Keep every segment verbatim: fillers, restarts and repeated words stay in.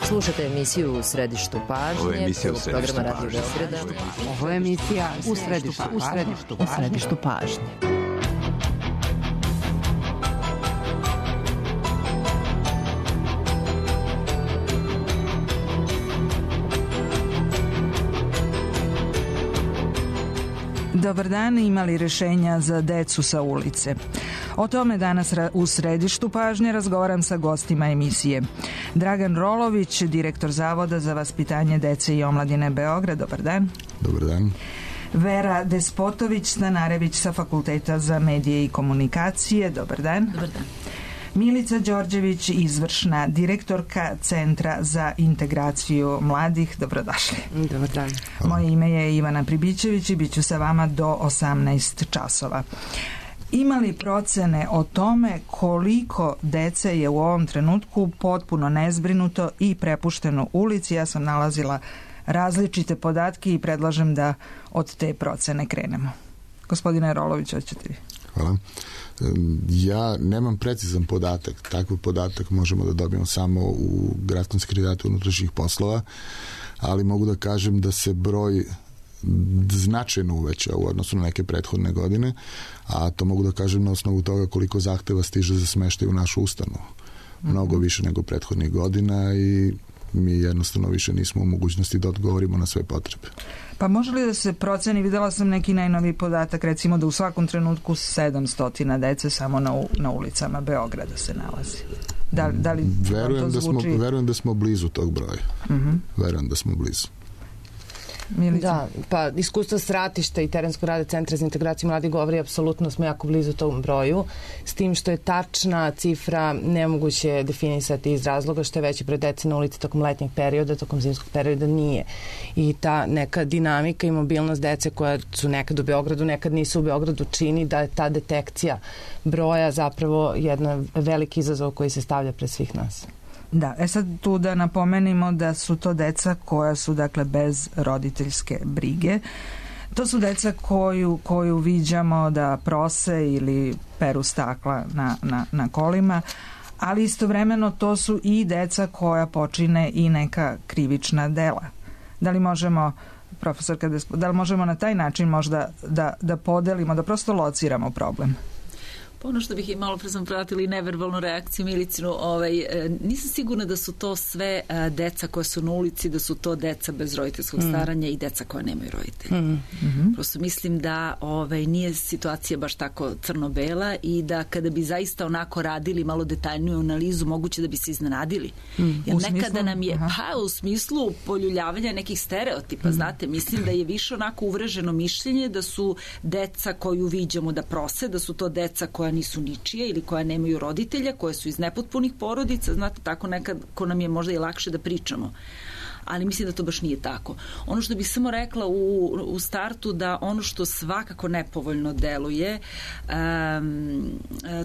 Slušate emisiju U središtu pažnje. Ovo je emisija U središtu programa Radio pažnje. Beograda. Ovo je emisija U središtu pažnje. U središtu pažnje. Dobar dan, imali rešenja za decu sa ulice? O tome danas u središtu pažnje razgovaram sa gostima emisije. Dragan Rolović, direktor Zavoda za vaspitanje dece i omladine Beograd. Dobar dan. Dobar dan. Vera Despotović-Stanarević sa Fakulteta za medije i komunikacije. Dobar dan. Dobar dan. Milica Đorđević, izvršna direktorka Centra za integraciju mladih. Dobrodošli. Dobar dan. Moje ime je Ivana Pribićević i bit ću sa vama do osamnaest časova. Ima li procene o tome koliko dece je u ovom trenutku potpuno nezbrinuto i prepušteno ulici? Ja sam nalazila različite podatke i predlažem da od te procene krenemo. Gospodine Rolović, hoćete vi? Hvala. Ja nemam precizan podatak. Takav podatak možemo da dobijemo samo u Gradskom sekretarijatu unutrašnjih poslova, ali mogu da kažem da se broj značajno uveća u odnosu na neke prethodne godine, a to mogu da kažem na osnovu toga koliko zahteva stiže za smeštaj u našu ustanovu. Mnogo više nego prethodnih godina i mi jednostavno više nismo u mogućnosti da odgovorimo na sve potrebe. Pa može li da se proceni, videla sam neki najnoviji podatak, recimo da u svakom trenutku sedamsto dece samo na, na ulicama Beograda se nalazi. Da, da li verujem, to zvuči... da smo, verujem da smo blizu tog broja. Uh-huh. Verujem da smo blizu. Milica? Da, pa iskustvo Sratišta i terenskog rada Centra za integraciju mladih govori apsolutno smo jako blizu tom broju, s tim što je tačna cifra nemoguće definisati iz razloga što je veći broj dece na ulici tokom letnjeg perioda, tokom zimskog perioda nije. I ta neka dinamika i mobilnost dece koja su nekad u Beogradu, nekad nisu u Beogradu, čini da je ta detekcija broja zapravo jedan veliki izazov koji se stavlja pred svih nas. Da, e sad tu da napomenimo da su to deca koja su dakle bez roditeljske brige. To su deca koju, koju viđamo da prose ili peru stakla na, na, na kolima, ali istovremeno to su i deca koja počine i neka krivična dela. Da li možemo, profesorka, da li možemo na taj način možda da, da podelimo, da prosto lociramo problem? Ono što bih i malo pre sam pratili neverbalnu reakciju Milicinu, ovaj, nisam sigurna da su to sve a, deca koja su na ulici, da su to deca bez roditeljskog mm. staranja i deca koja nemaju roditelja. Mm. Mm-hmm. Prosto mislim da ovaj, nije situacija baš tako crno-bela i da kada bi zaista onako radili malo detaljniju analizu, moguće da bi se iznenadili. Mm. Jer nekada smislu? nam je, Aha. pa u smislu poljuljavanja nekih stereotipa, mm. znate, mislim da je više onako uvreženo mišljenje da su deca koju viđamo da prose, da su to deca koja nisu ničije ili koja nemaju roditelja, koje su iz nepotpunih porodica, znate, tako nekad ko nam je možda i lakše da pričamo. Ali mislim da to baš nije tako. Ono što bih samo rekla u, u startu da ono što svakako nepovoljno deluje um,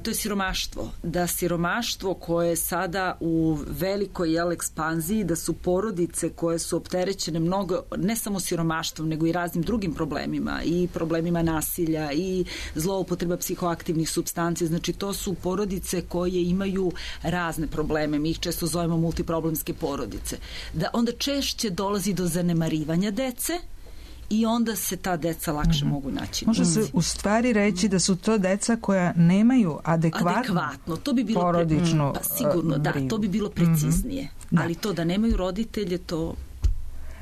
to je siromaštvo. Da siromaštvo koje je sada u velikoj jel, ekspanziji, da su porodice koje su opterećene mnogo, ne samo siromaštvom, nego i raznim drugim problemima i problemima nasilja i zloupotreba psihoaktivnih supstanci. Znači to su porodice koje imaju razne probleme. Mi ih često zovemo multiproblemske porodice. Da onda češće dolazi do zanemarivanja dece i onda se ta deca lakše mm-hmm. mogu naći. Može se u stvari reći da su to deca koja nemaju adekvatno, adekvatno. To bi bilo porodičnu pre... pa sigurno, da, to bi bilo preciznije. Mm-hmm. Ali to da nemaju roditelje, to...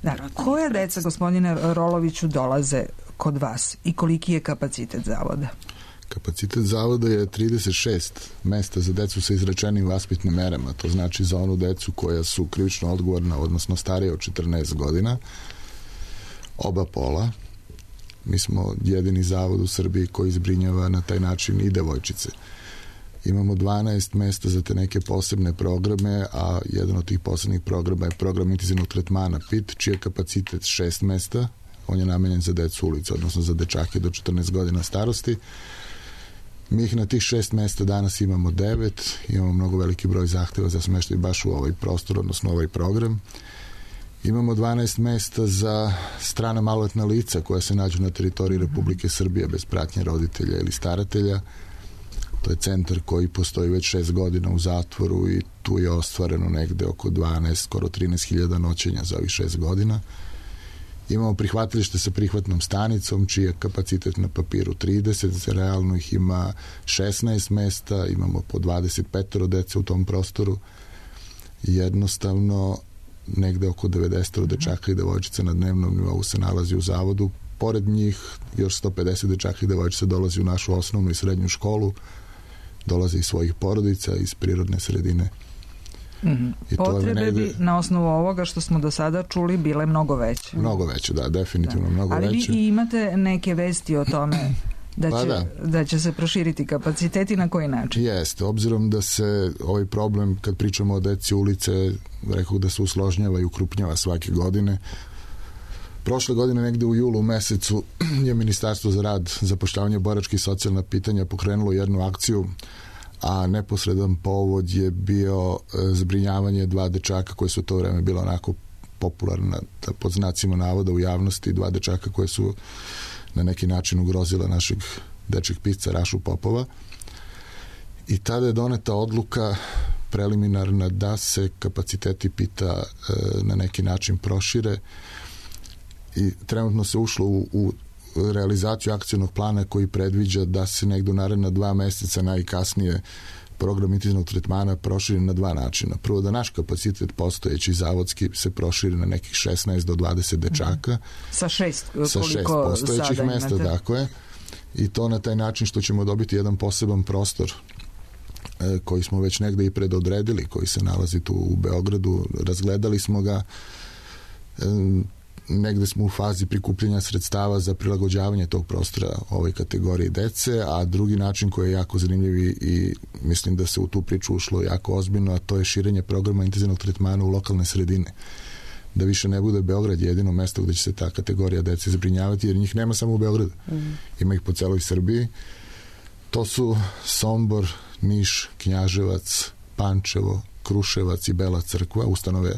Da, koja deca, gospodine Roloviću, dolaze kod vas i koliki je kapacitet zavoda? Kapacitet zavoda je trideset šest mesta za decu sa izrečenim vaspitnim merama. To znači za onu decu koja su krivično odgovorna, odnosno starije od četrnaest godina, oba pola. Mi smo jedini zavod u Srbiji koji zbrinjava na taj način i devojčice. Imamo dvanaest mesta za te neke posebne programe, a jedan od tih posebnih programa je program intenzivnog tretmana P I T, čiji je kapacitet šest mesta. On je namenjen za decu ulice, odnosno za dečake do četrnaest godina starosti. Mi ih na tih šest mesta danas imamo devet, imamo mnogo veliki broj zahteva za smeštaj baš u ovaj prostor, odnosno ovaj program. Imamo dvanaest mesta za strana maloletna lica koja se nađu na teritoriji Republike Srbije bez pratnje roditelja ili staratelja. To je centar koji postoji već šest godina u zatvoru i tu je ostvareno negde oko dvanaest, skoro trinaest hiljada noćenja za ovih šest godina. Imamo prihvatilište sa prihvatnom stanicom, čiji je kapacitet na papiru trideset, realno ih ima šesnaest mesta, imamo po dvadeset pet dece u tom prostoru. Jednostavno, negde oko devedeset dečaka i devojčica na dnevnom nivou se nalazi u zavodu. Pored njih još sto pedeset dečaka i devojčica dolazi u našu osnovnu i srednju školu, dolaze iz svojih porodica, iz prirodne sredine. Mm-hmm. Potrebe negde... bi na osnovu ovoga što smo do sada čuli bile mnogo veće. Mnogo veće, da, definitivno da. mnogo Ali veće. Ali vi imate neke vesti o tome da će, da. da će se proširiti kapaciteti, na koji način? Jeste, obzirom da se ovaj problem, kad pričamo o deci ulice, rekao da se usložnjava i ukrupnjava svake godine. Prošle godine, negde u julu mesecu, je Ministarstvo za rad, zapošljavanje, boračke i socijalna pitanja pokrenulo jednu akciju, a neposredan povod je bio zbrinjavanje dva dečaka koje su u to vreme bilo onako popularna, pod znacima navoda u javnosti, dva dečaka koje su na neki način ugrozila našeg dečeg pisca Rašu Popova. I tada je doneta odluka preliminarna da se kapaciteti pita e, na neki način prošire i trenutno se ušlo u, u realizaciju akcionog plana koji predviđa da se negde u naredna dva meseca najkasnije program intenzivnog tretmana proširi na dva načina. Prvo, da naš kapacitet postojeći zavodski se proširi na nekih šesnaest do dvadeset dečaka. Sa šest, sa šest postojećih mesta, tako je. I to na taj način što ćemo dobiti jedan poseban prostor e, koji smo već negde i predodredili, koji se nalazi tu u Beogradu. Razgledali smo ga, e, negde smo u fazi prikupljanja sredstava za prilagođavanje tog prostora ovoj kategoriji dece, a drugi način koji je jako zanimljiv i mislim da se u tu priču ušlo jako ozbiljno, a to je širenje programa intenzivnog tretmana u lokalne sredine. Da više ne bude Beograd jedino mesto gde će se ta kategorija dece zbrinjavati, jer njih nema samo u Beogradu. Mm. Ima ih po celoj Srbiji. To su Sombor, Niš, Knjaževac, Pančevo, Kruševac i Bela Crkva, ustanove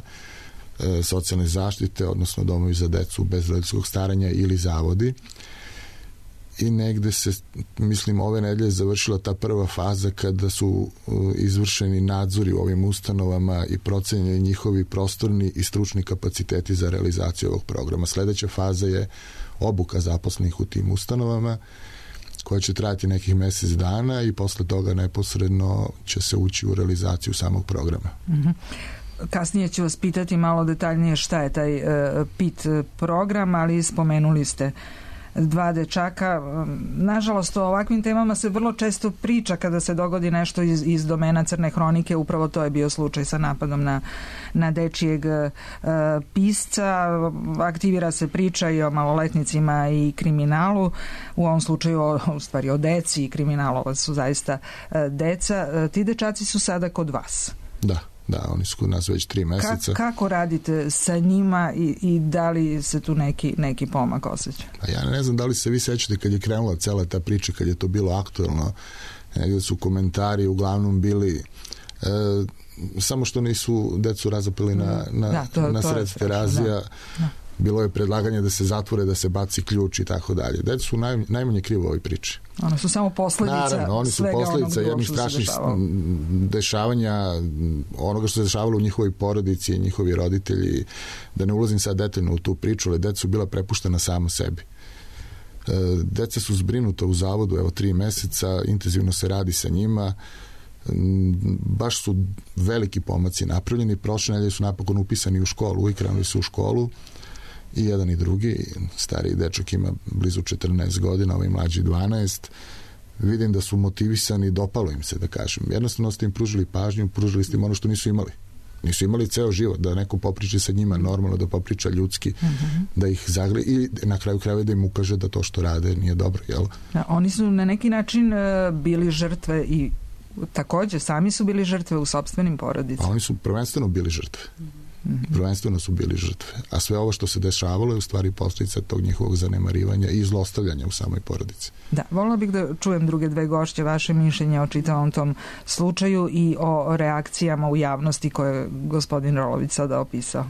socijalne zaštite, odnosno domovi za decu bez roditeljskog staranja ili zavodi. I negde se, mislim, ove nedelje završila ta prva faza kada su izvršeni nadzori u ovim ustanovama i procenjeni njihovi prostorni i stručni kapaciteti za realizaciju ovog programa. Sledeća faza je obuka zaposlenih u tim ustanovama, koja će trajati nekih mesec dana i posle toga neposredno će se ući u realizaciju samog programa. Mhm. Kasnije ću vas pitati malo detaljnije šta je taj uh, P I T program, ali spomenuli ste dva dečaka. Nažalost, o ovakvim temama se vrlo često priča kada se dogodi nešto iz, iz domena crne hronike. Upravo to je bio slučaj sa napadom na, na dečijeg uh, pisca. Aktivira se priča i o maloletnicima i kriminalu. U ovom slučaju o, u stvari o deci i kriminalu su zaista uh, deca. Uh, ti dečaci su sada kod vas. Da. Da, oni su kod nas već tri meseca. Ka, kako radite sa njima i, i da li se tu neki, neki pomak osjeća? A ja ne znam da li se vi sećate kad je krenula cela ta priča, kad je to bilo aktuelno, negdje su komentari uglavnom bili e, samo što nisu decu razapeli na, na, da, to, na sred terazija. Da, da. Bilo je predlaganje da se zatvore, da se baci ključ i tako dalje. Deca su naj, najmanje krivo u ovoj priči. One su samo posledica Naravno, oni su posledica jednih strašnih dešavanja, onoga što se dešavalo u njihovoj porodici i njihovi roditelji. Da ne ulazim sad detaljno u tu priču, ali deca su bila prepuštena sama sebi. Deca su zbrinuta u zavodu, evo tri meseca, intenzivno se radi sa njima. Baš su veliki pomaci napravljeni. Prošle nedelje su napokon upisani u školu i krenuli su u školu. I jedan i drugi, stariji dečak ima blizu četrnaest godina, ovaj mlađi dvanaest. Vidim da su motivisani, dopalo im se, da kažem. Jednostavno ste im pružili pažnju, pružili ste im ono što nisu imali. Nisu imali ceo život, da neko popriči sa njima normalno, da popriča ljudski, mm-hmm. da ih zagre i na kraju krajeva da im ukaže da to što rade nije dobro, jel? Da, oni su na neki način uh, bili žrtve i takođe sami su bili žrtve u sopstvenim porodicama. A oni su prvenstveno bili žrtve. Mm-hmm. Prvenstveno su bili žrtve. A sve ovo što se dešavalo je u stvari posljedica tog njihovog zanemarivanja i zlostavljanja u samoj porodici. Da, volila bih da čujem druge dve gošće, vaše mišljenje o čitavom tom slučaju i o reakcijama u javnosti koje je gospodin Rolović sada opisao.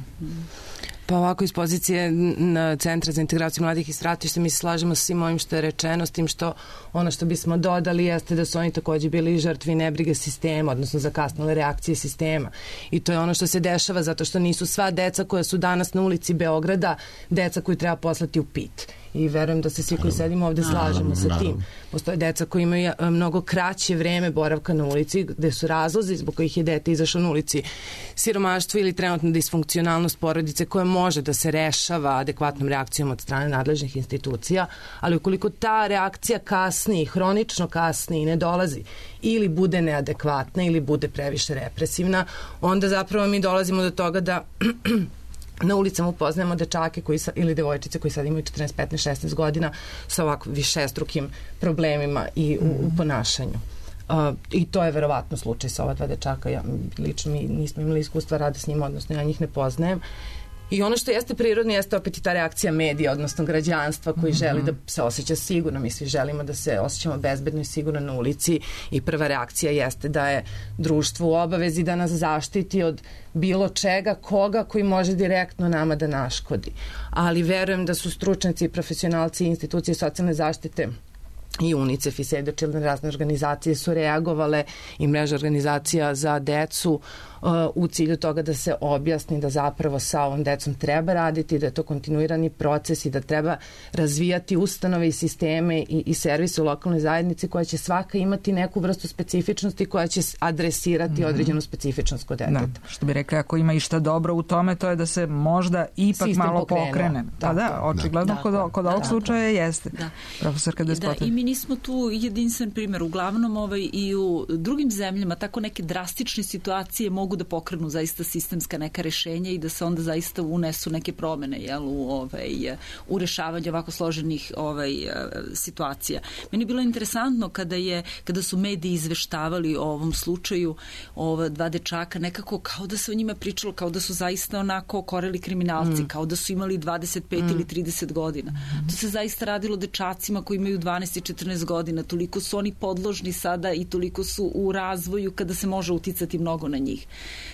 Pa ovako, iz pozicije na Centra za integraciju mladih i stratišta mi se slažemo sa svim ovim što je rečeno, s tim što ono što bismo dodali jeste da su oni takođe bili žrtvi nebrige sistema, odnosno zakasnile reakcije sistema. I to je ono što se dešava zato što nisu sva deca koja su danas na ulici Beograda deca koju treba poslati u pit. I verujem da se svi koji sedimo ovde slažemo sa tim. Postoje deca koji imaju mnogo kraće vreme boravka na ulici, gde su razlozi zbog kojih je dete izašlo na ulici siromaštvo ili trenutna disfunkcionalnost porodice koja može da se rešava adekvatnom reakcijom od strane nadležnih institucija, ali ukoliko ta reakcija kasni, hronično kasni i ne dolazi ili bude neadekvatna ili bude previše represivna, onda zapravo mi dolazimo do toga da na ulicama upoznajemo dečake koji sa, ili devojčice koji sad imaju četrnaest, petnaest, šesnaest godina sa ovako višestrukim problemima i u, u ponašanju. Uh, I to je verovatno slučaj sa ova dva dečaka. Ja, lično mi nismo imali iskustva rada s njima, odnosno ja njih ne poznajem. I ono što jeste prirodno jeste opet i ta reakcija medija, odnosno građanstva koji mm-hmm. želi da se osjeća sigurno. Mi svi želimo da se osjećamo bezbedno i sigurno na ulici i prva reakcija jeste da je društvo u obavezi da nas zaštiti od bilo čega, koga koji može direktno nama da naškodi. Ali verujem da su stručnjaci, profesionalci i institucije socijalne zaštite i UNICEF i Save the Children, razne organizacije su reagovale i mreža organizacija za decu uh, u cilju toga da se objasni da zapravo sa ovom decom treba raditi, da je to kontinuirani proces i da treba razvijati ustanove i sisteme i, i servise u lokalnoj zajednici koja će svaka imati neku vrstu specifičnosti koja će adresirati mm-hmm. određenu specifičnost kod deteta. Da, što bi rekli, ako ima išta dobro u tome, to je da se možda ipak sistem malo pokrenuo. pokrene. Pa da, očigledno da. kod, kod ovog da. slučaja jeste. Da. Profesorka Despotović. Da, i mi nismo tu jedinstven primjer. Uglavnom ovaj, i u drugim zemljama tako neke drastične situacije mogu da pokrenu zaista sistemska neka rešenja i da se onda zaista unesu neke promene, jel, u, ovaj, u rešavanju ovako složenih ovaj, situacija. Meni je bilo interesantno kada, je, kada su mediji izveštavali o ovom slučaju ova dva dečaka, nekako kao da se o njima pričalo, kao da su zaista onako koreli kriminalci, mm. kao da su imali dvadeset pet mm. ili trideset godina. Mm. To se zaista radilo dečacima koji imaju dvanaest i četrnaest godina, toliko su oni podložni sada i toliko su u razvoju kada se može uticati mnogo na njih.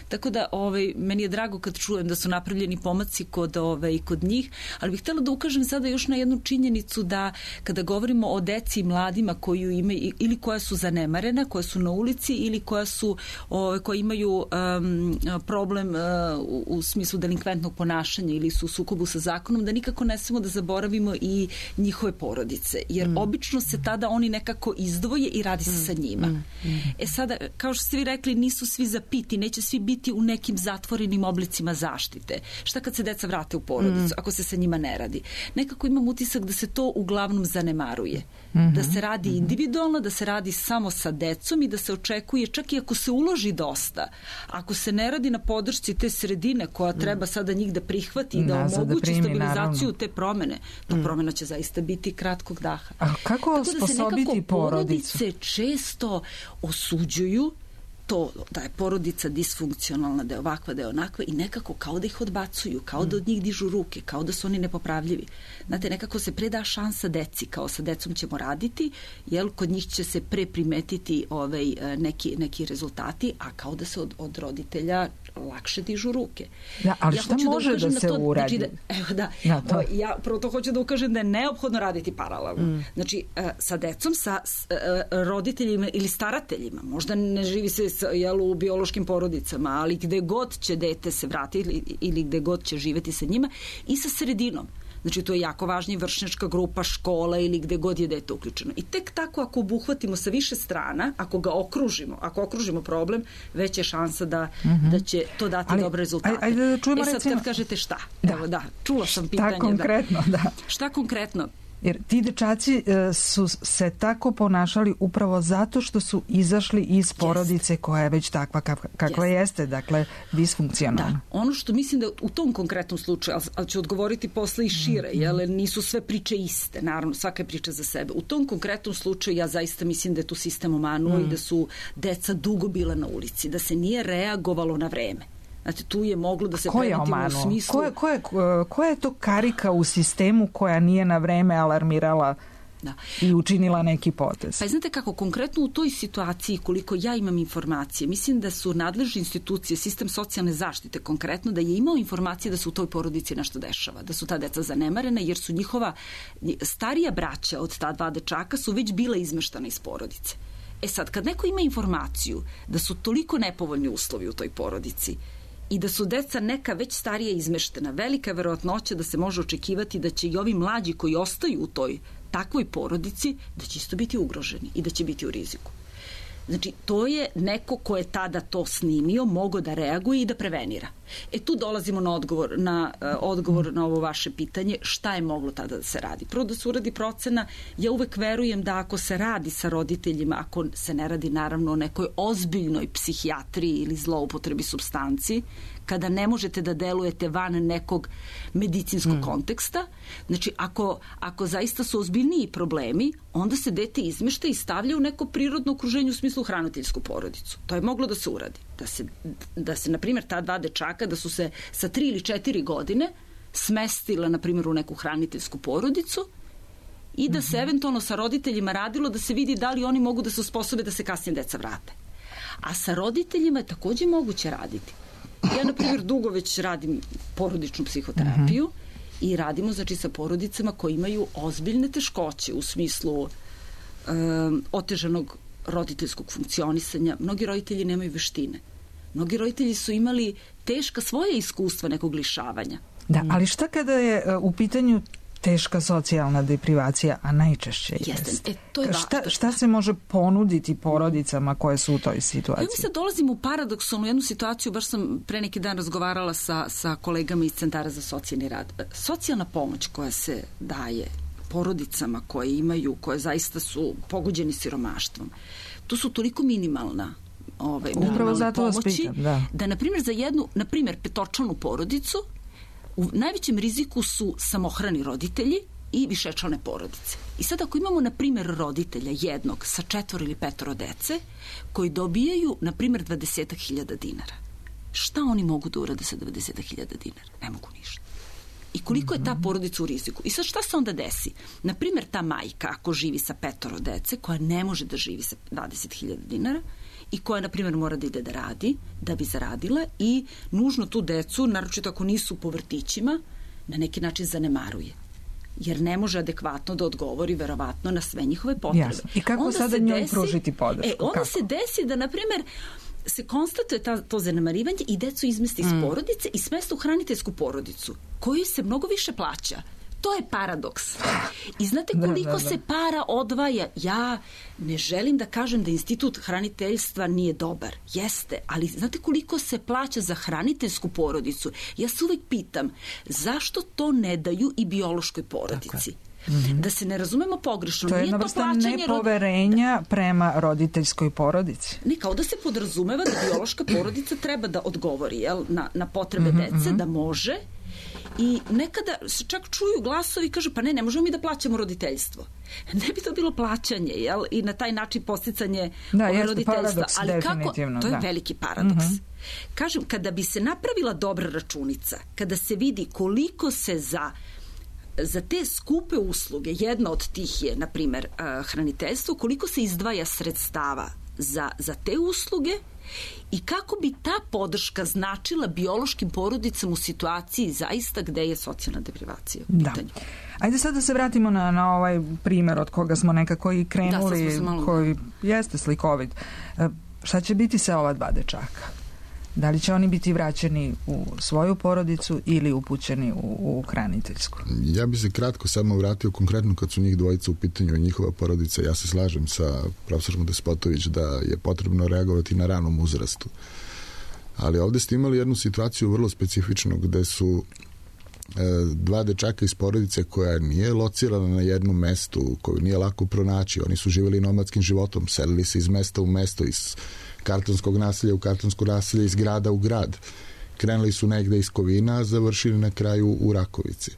Tako da ovaj, meni je drago kad čujem da su napravljeni pomaci kod, ovaj, kod njih, ali bih htjela da ukažem sada još na jednu činjenicu da kada govorimo o deci i mladima koju imaju ili koja su zanemarena, koja su na ulici ili koja su, ovaj, koja imaju um, problem uh, u, u smislu delinkventnog ponašanja ili su u sukobu sa zakonom, da nikako ne smemo da zaboravimo i njihove porodice, jer mm. obično se tada oni nekako izdvoje i radi se mm. sa njima. Mm. Mm. E sada, kao što ste vi rekli, nisu svi zapiti, neće svi biti u nekim zatvorenim oblicima zaštite. Šta kad se deca vrate u porodicu, mm. ako se sa njima ne radi? Nekako imam utisak da se to uglavnom zanemaruje. Mm-hmm. Da se radi individualno, da se radi samo sa decom i da se očekuje, čak i ako se uloži dosta, ako se ne radi na podršci te sredine koja treba sada njih da prihvati i da Nazad omogući da primi, stabilizaciju naravno. te promene, ta mm. promena će zaista biti kratkog daha. A kako sposobiti porodicu? Porodice često osuđuju to da je porodica disfunkcionalna, da je ovakva, da je onakva i nekako kao da ih odbacuju, kao da od njih dižu ruke, kao da su oni nepopravljivi. Znate, nekako se preda šansa deci, kao sa decom ćemo raditi, jer kod njih će se pre primetiti ovaj, neki, neki rezultati, a kao da se od, od roditelja lakše dižu ruke. Da, ali ja šta može da, da se to, uradi? Znači da, evo da, ja, to. ja prvo to hoću da ukažem da je neophodno raditi paralelno. Mm. Znači, sa decom, sa roditeljima ili starateljima, možda ne živi se jel, u biološkim porodicama, ali gde god će dete se vratiti ili, ili gde god će živeti sa njima i sa sredinom. Znači, to je jako važna i vršnjačka grupa, škola ili gde god je dete uključeno. I tek tako ako obuhvatimo sa više strana, ako ga okružimo, ako okružimo problem, već je šansa da, mm-hmm. da će to dati ali, dobre rezultate. Ajde da čujemo, e sad recimo, kad kažete šta? Da. Evo da, čula sam pitanje. Šta konkretno, da. da. Šta konkretno? Jer ti dečaci e, su se tako ponašali upravo zato što su izašli iz porodice jest. koja je već takva kakva, kakva jest. jeste, dakle disfunkcionalna. Da, ono što mislim da u tom konkretnom slučaju, ali, ali ću odgovoriti posle i šire, mm. jer nisu sve priče iste, naravno, svaka je priča za sebe. U tom konkretnom slučaju ja zaista mislim da je tu sistem omanuo mm. i da su deca dugo bila na ulici, da se nije reagovalo na vreme. Znači, tu je moglo da se preventivno u smislu... Ko je, ko, je, ko je to karika u sistemu koja nije na vreme alarmirala da. i učinila neki potez. Pa znate kako, konkretno u toj situaciji, koliko ja imam informacije, mislim da su nadležne institucije, sistem socijalne zaštite konkretno, da je imao informacije da se u toj porodici nešto dešava, da su ta deca zanemarena, jer su njihova starija braća od ta dva dečaka su već bila izmeštana iz porodice. E sad, kad neko ima informaciju da su toliko nepovoljni uslovi u toj porodici i da su deca neka već starije izmeštena, velika je verovatnoća da se može očekivati da će i ovi mlađi koji ostaju u toj takvoj porodici, da će isto biti ugroženi i da će biti u riziku. Znači, to je neko ko je tada to snimio, mogao da reaguje i da prevenira. E tu dolazimo na odgovor na, uh, odgovor na ovo vaše pitanje, šta je moglo tada da se radi. Prvo da se uradi procena, ja uvek verujem da ako se radi sa roditeljima, ako se ne radi naravno o nekoj ozbiljnoj psihijatriji ili zloupotrebi supstanci, kada ne možete da delujete van nekog medicinskog mm. konteksta, znači ako, ako zaista su ozbiljniji problemi, onda se dete izmešta i stavlja u neko prirodno okruženje u smislu hraniteljsku porodicu. To je moglo da se uradi. Da se, da se na primjer, ta dva dečaka, da su se sa tri ili četiri godine smestila, na primjer, u neku hraniteljsku porodicu i da se eventualno sa roditeljima radilo da se vidi da li oni mogu da se osposobe da se kasnije deca vrate. A sa roditeljima je takođe moguće raditi. Ja, na primjer, dugo već radim porodičnu psihoterapiju uh -huh. i radimo, znači, sa porodicama koji imaju ozbiljne teškoće u smislu um, otežanog roditeljskog funkcionisanja. Mnogi roditelji nemaju veštine. Mnogi roditelji su imali teška svoje iskustva nekog lišavanja. Da, ali šta kada je u pitanju teška socijalna deprivacija, a najčešće jeste? E, to je šta, šta se može ponuditi porodicama koje su u toj situaciji? Ja mi se dolazim u paradoksalnu jednu situaciju, baš sam pre neki dan razgovarala sa, sa kolegama iz Centara za socijalni rad. Socijalna pomoć koja se daje porodicama koje imaju, koje zaista su pogođeni siromaštvom, to su toliko minimalna ovaj, upravo zato vas pomoći, pitam, da. da, na primjer, za jednu, na primjer, petočlanu porodicu u najvećem riziku su samohrani roditelji i višečlane porodice. I sad ako imamo, na primjer, roditelja jednog sa četvoro ili petoro dece koji dobijaju, na primjer, dvadeset hiljada dinara, šta oni mogu da urade sa dvadeset hiljada dinara? Ne mogu ništa. I koliko je ta porodica u riziku? I sad šta se onda desi? Na primjer, ta majka, ako živi sa petoro dece, koja ne može da živi sa dvadeset hiljada dinara i koja, na primjer, mora da ide da radi, da bi zaradila i nužno tu decu, naročito ako nisu po vrtićima, na neki način zanemaruje. Jer ne može adekvatno da odgovori, verovatno, na sve njihove potrebe. Jasno. I kako onda sada njoj desi, pružiti podršku? E, onda kako? se desi da, na primjer, se konstatuje ta, to zanemarivanje i decu izmesti iz mm. porodice i smesta u hraniteljsku porodicu, koju se mnogo više plaća. To je paradoks. I znate koliko da, da, da. se para odvaja? Ja ne želim da kažem da institut hraniteljstva nije dobar. Jeste, ali znate koliko se plaća za hraniteljsku porodicu? Ja se uvek pitam, zašto to ne daju i biološkoj porodici? Mm-hmm. Da se ne razumemo pogrešno. To je jedna vrsta nepoverenja rod... prema roditeljskoj porodici. Ne, kao da se podrazumeva da biološka porodica treba da odgovori, jel, na, na potrebe mm-hmm. dece, da može. I nekada se čak čuju glasovi i kaže, pa ne, ne možemo mi da plaćamo roditeljstvo. Ne bi to bilo plaćanje, jel? I na taj način posticanje da, roditeljstva. Paradoks, ali kako? To je da. veliki paradoks. Mm-hmm. Kažem, kada bi se napravila dobra računica, kada se vidi koliko se za za te skupe usluge, jedna od tih je, na primjer, hraniteljstvo, koliko se izdvaja sredstava za, za te usluge i kako bi ta podrška značila biološkim porodicama u situaciji zaista gde je socijalna deprivacija u pitanju. Da. Ajde sad da se vratimo na, na ovaj primer od koga smo nekako i krenuli, da, malo... koji jeste slikovit. Šta će biti sa ova dva dečaka? Da li će oni biti vraćeni u svoju porodicu ili upućeni u, u hraniteljsku? Ja bi se kratko samo vratio konkretno kad su njih dvojica u pitanju i njihova porodica. Ja se slažem sa profesorom Despotović da je potrebno reagovati na ranom uzrastu. Ali ovde ste imali jednu situaciju vrlo specifičnu gde su e, dva dečaka iz porodice koja nije locirana na jednom mestu, koju nije lako pronaći. Oni su živjeli nomadskim životom, selili se iz mesta u mesto, iz kartonskog naselja u kartonsko naselje, iz grada u grad. Krenuli su negde iz Kovina, a završili na kraju u Rakovici.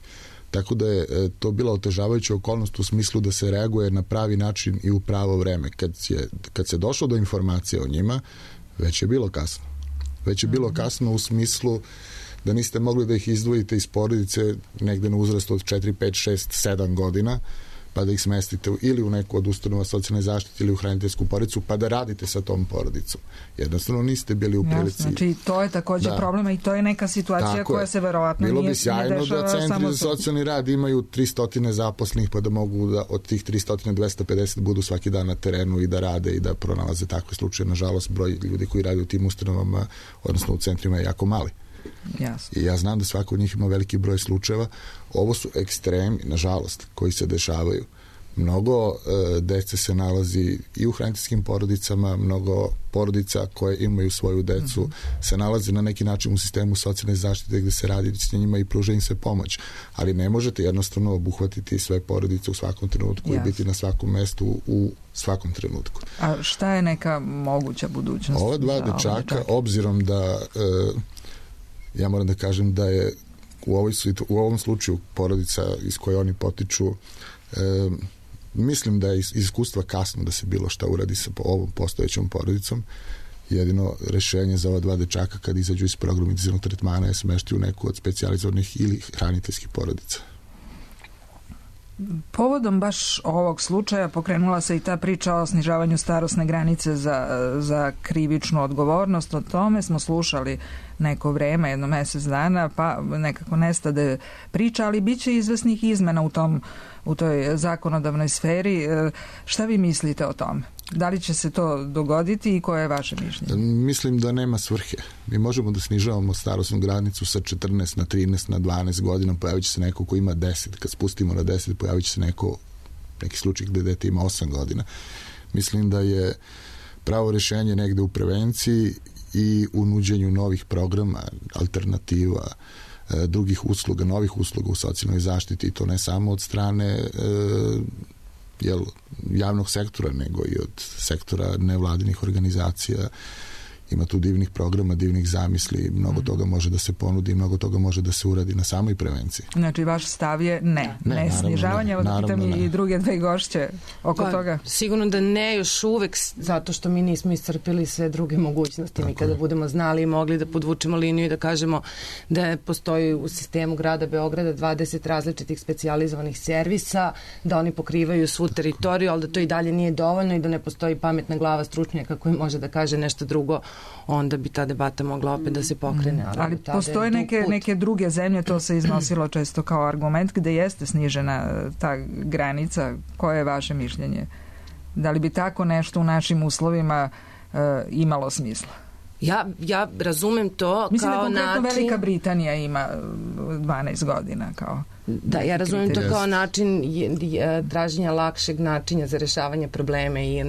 Tako da je to bila otežavajuća okolnost u smislu da se reaguje na pravi način i u pravo vreme. Kad, je, kad se došlo do informacije o njima, već je bilo kasno. Već je bilo kasno u smislu da niste mogli da ih izdvojite iz porodice negde na uzrastu od četiri, pet, šest, sedam godina, pa da ih smestite ili u neku od ustanova socijalne zaštite ili u hraniteljsku porodicu, pa da radite sa tom porodicom. Jednostavno niste bili u prilici. Znači, to je također da. Problema i to je neka situacija tako koja je. Se verovatno bilo nije, bi sjajno nije dešava da centri samo za socijalni rad imaju tristo zaposlenih, pa da mogu da od tih tristo dvesta pedeset budu svaki dan na terenu i da rade i da pronalaze takve slučaje. Nažalost, broj ljudi koji rade u tim ustanovama, odnosno u centrima, je jako mali. Jasno. I ja znam da svako od njih ima veliki broj slučajeva. Ovo su ekstremi, nažalost, koji se dešavaju. Mnogo e, dece se nalazi i u hraniteljskim porodicama, mnogo porodica koje imaju svoju decu mm-hmm. se nalazi na neki način u sistemu socijalne zaštite gde se radi s njima i pruža im se pomoć. Ali ne možete jednostavno obuhvatiti sve porodice u svakom trenutku yes. i biti na svakom mestu u svakom trenutku. A šta je neka moguća budućnost? Ova dva dečaka, obzirom da e, ja moram da kažem da je u, ovoj, u ovom slučaju porodica iz koje oni potiču e, mislim da je iz iskustva kasno da se bilo šta uradi sa ovom postojećom porodicom. Jedino rešenje za ova dva dečaka kad izađu iz programa intenzivnog tretmana je smešti u neku od specijalizovanih ili hraniteljskih porodica. Povodom baš ovog slučaja pokrenula se i ta priča o snižavanju starosne granice za, za krivičnu odgovornost. O tome smo slušali neko vreme, jedno mesec dana, pa nekako nestade priča, ali bit će izvesnih izmena u tom u toj zakonodavnoj sferi. Šta vi mislite o tome? Da li će se to dogoditi i koje je vaše mišljenje? Mislim da nema svrhe. Mi možemo da snižavamo starosnu granicu sa četrnaest na trinaest na dvanaest godina, pojavit će se neko ko ima deset. Kad spustimo na deset, pojavit će se neko, neki slučaj gde dete ima osam godina. Mislim da je pravo rešenje negde u prevenciji i u nuđenju novih programa, alternativa, drugih usluga, novih usluga u socijalnoj zaštiti, i to ne samo od strane e, jel, javnog sektora, nego i od sektora nevladinih organizacija. Ima tu divnih programa, divnih zamisli, mnogo mm. toga može da se ponudi, mnogo toga može da se uradi na samoj prevenciji. Znači, vaš stav je ne, ne, ne snižavanje, evo da pitam i druge dve gošće oko pa, toga. Sigurno da ne još uvek, zato što mi nismo iscrpili sve druge mogućnosti. Mi kada budemo znali i mogli da podvučemo liniju i da kažemo da postoji u sistemu grada Beograda dvadeset različitih specijalizovanih servisa, da oni pokrivaju svu teritoriju, ali da to i dalje nije dovoljno i da ne postoji pametna glava stručnjaka koji može da kaže nešto drugo, onda bi ta debata mogla opet da se pokrene. Ali, ali postoje neke, neke druge zemlje, to se iznosilo često kao argument, gde jeste snižena ta granica. Koje je vaše mišljenje? Da li bi tako nešto u našim uslovima uh, imalo smisla? Ja, ja razumem to Mislim kao način... Mislim da konkretno način... Velika Britanija ima dvanaest godina kao... Da, ja razumem to kao način traženja lakšeg načina za rešavanje probleme i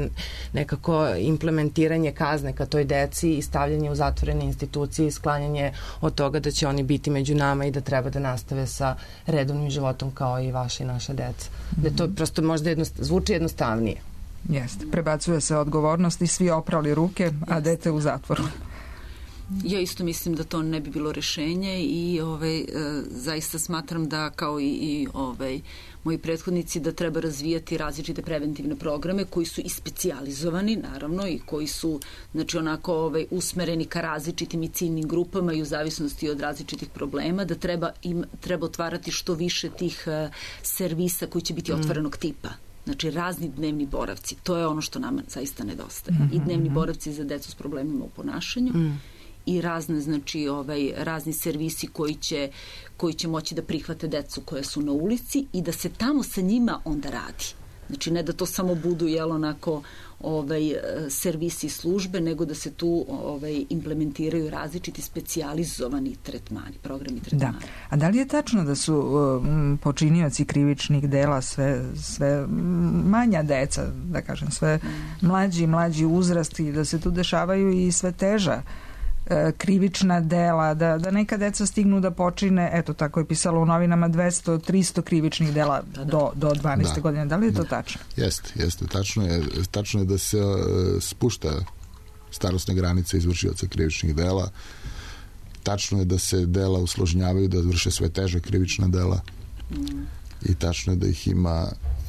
nekako implementiranje kazne ka toj deci i stavljanje u zatvorene institucije i sklanjanje od toga da će oni biti među nama i da treba da nastave sa redovnim životom kao i vaša i naša deca. Mm-hmm. Da to prosto možda jednost, zvuči jednostavnije. Jeste. Prebacuje se odgovornost i svi oprali ruke, a dete u zatvoru. Ja isto mislim da to ne bi bilo rešenje i ovaj, e, zaista smatram da kao i, i ovaj, moji prethodnici da treba razvijati različite preventivne programe koji su i specijalizovani naravno i koji su znači onako ovaj, usmereni ka različitim i ciljnim grupama i u zavisnosti od različitih problema, da treba, im, treba otvarati što više tih uh, servisa koji će biti otvorenog tipa. Znači razni dnevni boravci, to je ono što nama zaista nedostaje. Mm-hmm. I dnevni boravci za decu s problemima u ponašanju mm. i razne, znači, ovaj, razni servisi koji će, koji će moći da prihvate decu koje su na ulici i da se tamo sa njima onda radi. Znači ne da to samo budu jel onako ovaj, servisi i službe, nego da se tu ovaj, implementiraju različiti specijalizovani tretmani, programi tretmana. Da. A da li je tačno da su um, počinioci krivičnih dela sve, sve manja deca, da kažem, sve mm. mlađi i mlađi uzrast i da se tu dešavaju i sve teža krivična dela, da, da neka deca stignu da počine, eto tako je pisalo u novinama, dvesta do trista krivičnih dela da, da. do, do dvanaeste da. godine. Da li je to tačno? Jeste, jeste. Tačno je, tačno je da se uh, spušta starosna granica izvršioca krivičnih dela. Tačno je da se dela usložnjavaju, da vrše sve teža krivična dela mm. i tačno je da ih ima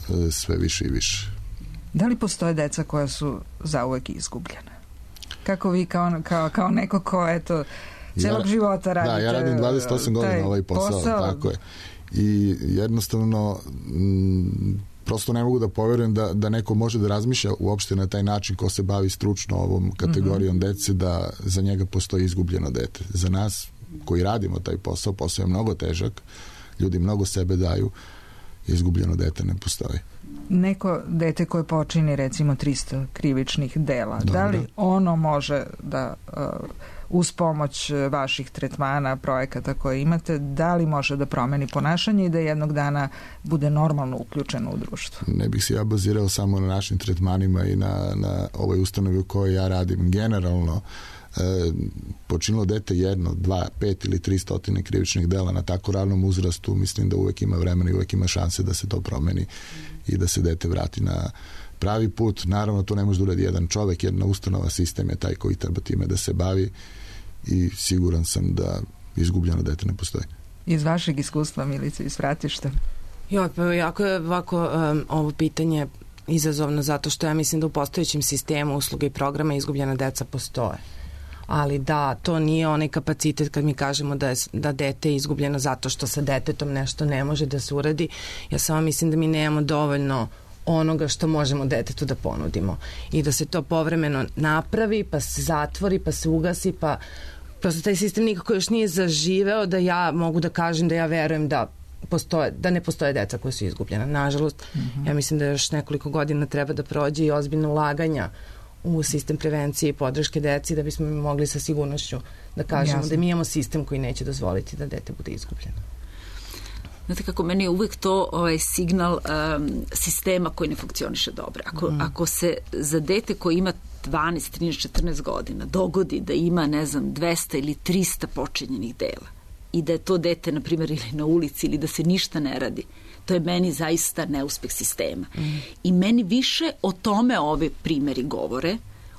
uh, sve više i više. Da li postoje deca koja su zauvek izgubljena? Kako vi kao, kao, kao neko ko eto celog ja, života radite? Da, ja radim dvadeset osam godina ovaj posao, posao, tako je. I jednostavno m, prosto ne mogu da poverujem da, da neko može da razmišlja uopšte na taj način ko se bavi stručno ovom kategorijom mm-hmm. dece, da za njega postoji izgubljeno dete. Za nas koji radimo taj posao, posao je mnogo težak, ljudi mnogo sebe daju, izgubljeno dete ne postoji. Neko dete koje počini recimo tristo krivičnih dela, Dobre. Da li ono može da uh, uz pomoć vaših tretmana, projekata koje imate, da li može da promeni ponašanje i da jednog dana bude normalno uključeno u društvo? Ne bih se ja bazirao samo na našim tretmanima i na, na ovoj ustanovi u kojoj ja radim. Generalno, e, počinilo dete jedno, dva, pet ili tri stotine krivičnih dela na tako ranom uzrastu, mislim da uvek ima vremena i uvek ima šanse da se to promeni i da se dete vrati na pravi put. Naravno, to ne može da uradi jedan čovek, jedna ustanova, sistem je taj koji treba time da se bavi i siguran sam da izgubljeno dete ne postoji. Iz vašeg iskustva, Milice, iz Fratišta? Jo, pa jako je ovako um, ovo pitanje izazovno zato što ja mislim da u postojećem sistemu usluga i programa izgubljena deca postoje. Ali da, to nije onaj kapacitet kad mi kažemo da je da dete je izgubljeno zato što sa detetom nešto ne može da se uradi. Ja samo mislim da mi nemamo dovoljno onoga što možemo detetu da ponudimo i da se to povremeno napravi, pa se zatvori, pa se ugasi, pa prosto taj sistem nikako još nije zaživeo da ja mogu da kažem da ja verujem da postoje, da ne postoje deca koja su izgubljena. Nažalost, mm-hmm. ja mislim da još nekoliko godina treba da prođe i ozbiljno ulaganja u sistem prevencije i podrške deci da bismo mogli sa sigurnošću da kažemo Jasne. Da mi imamo sistem koji neće dozvoliti da dete bude izgubljeno. Znate kako, meni je uvek to ovaj, signal um, sistema koji ne funkcioniše dobro. Ako, mm. ako se za dete koji ima dvanaest, trinaest, četrnaest godina dogodi da ima, ne znam, dvesta ili trista počinjenih dela i da je to dete, na primjer, ili na ulici ili da se ništa ne radi, to je meni zaista neuspeh sistema. Mm. I meni više o tome ove primeri govore,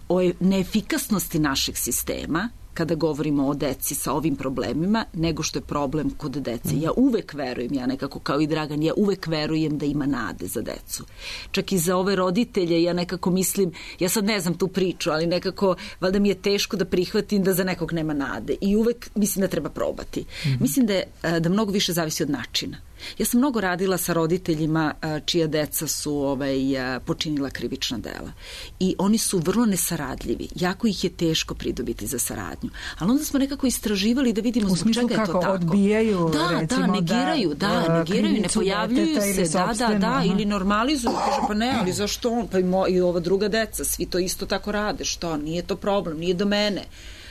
o neefikasnosti našeg sistema, kada govorimo o deci sa ovim problemima, nego što je problem kod dece. Ja uvek verujem, ja nekako kao i Dragan, ja uvek verujem da ima nade za decu. Čak i za ove roditelje, ja nekako mislim, ja sad ne znam tu priču, ali nekako, valjda mi je teško da prihvatim da za nekog nema nade. I uvek mislim da treba probati. Mm-hmm. Mislim da, je, da mnogo više zavisi od načina. Ja sam mnogo radila sa roditeljima čija deca su ovaj, počinila krivična dela. I oni su vrlo nesaradljivi. Jako ih je teško pridobiti za saradnju. Ali onda smo nekako istraživali da vidimo zbog čega je to tako. Odbijaju, da, recimo, da, negiraju, da, da negiraju, ne pojavljuju se, da, da, da, aha. ili normalizuju. Kaže, pa ne, ali zašto on? Pa i, mo, i ova druga deca, svi to isto tako rade. Što? Nije to problem, nije do mene.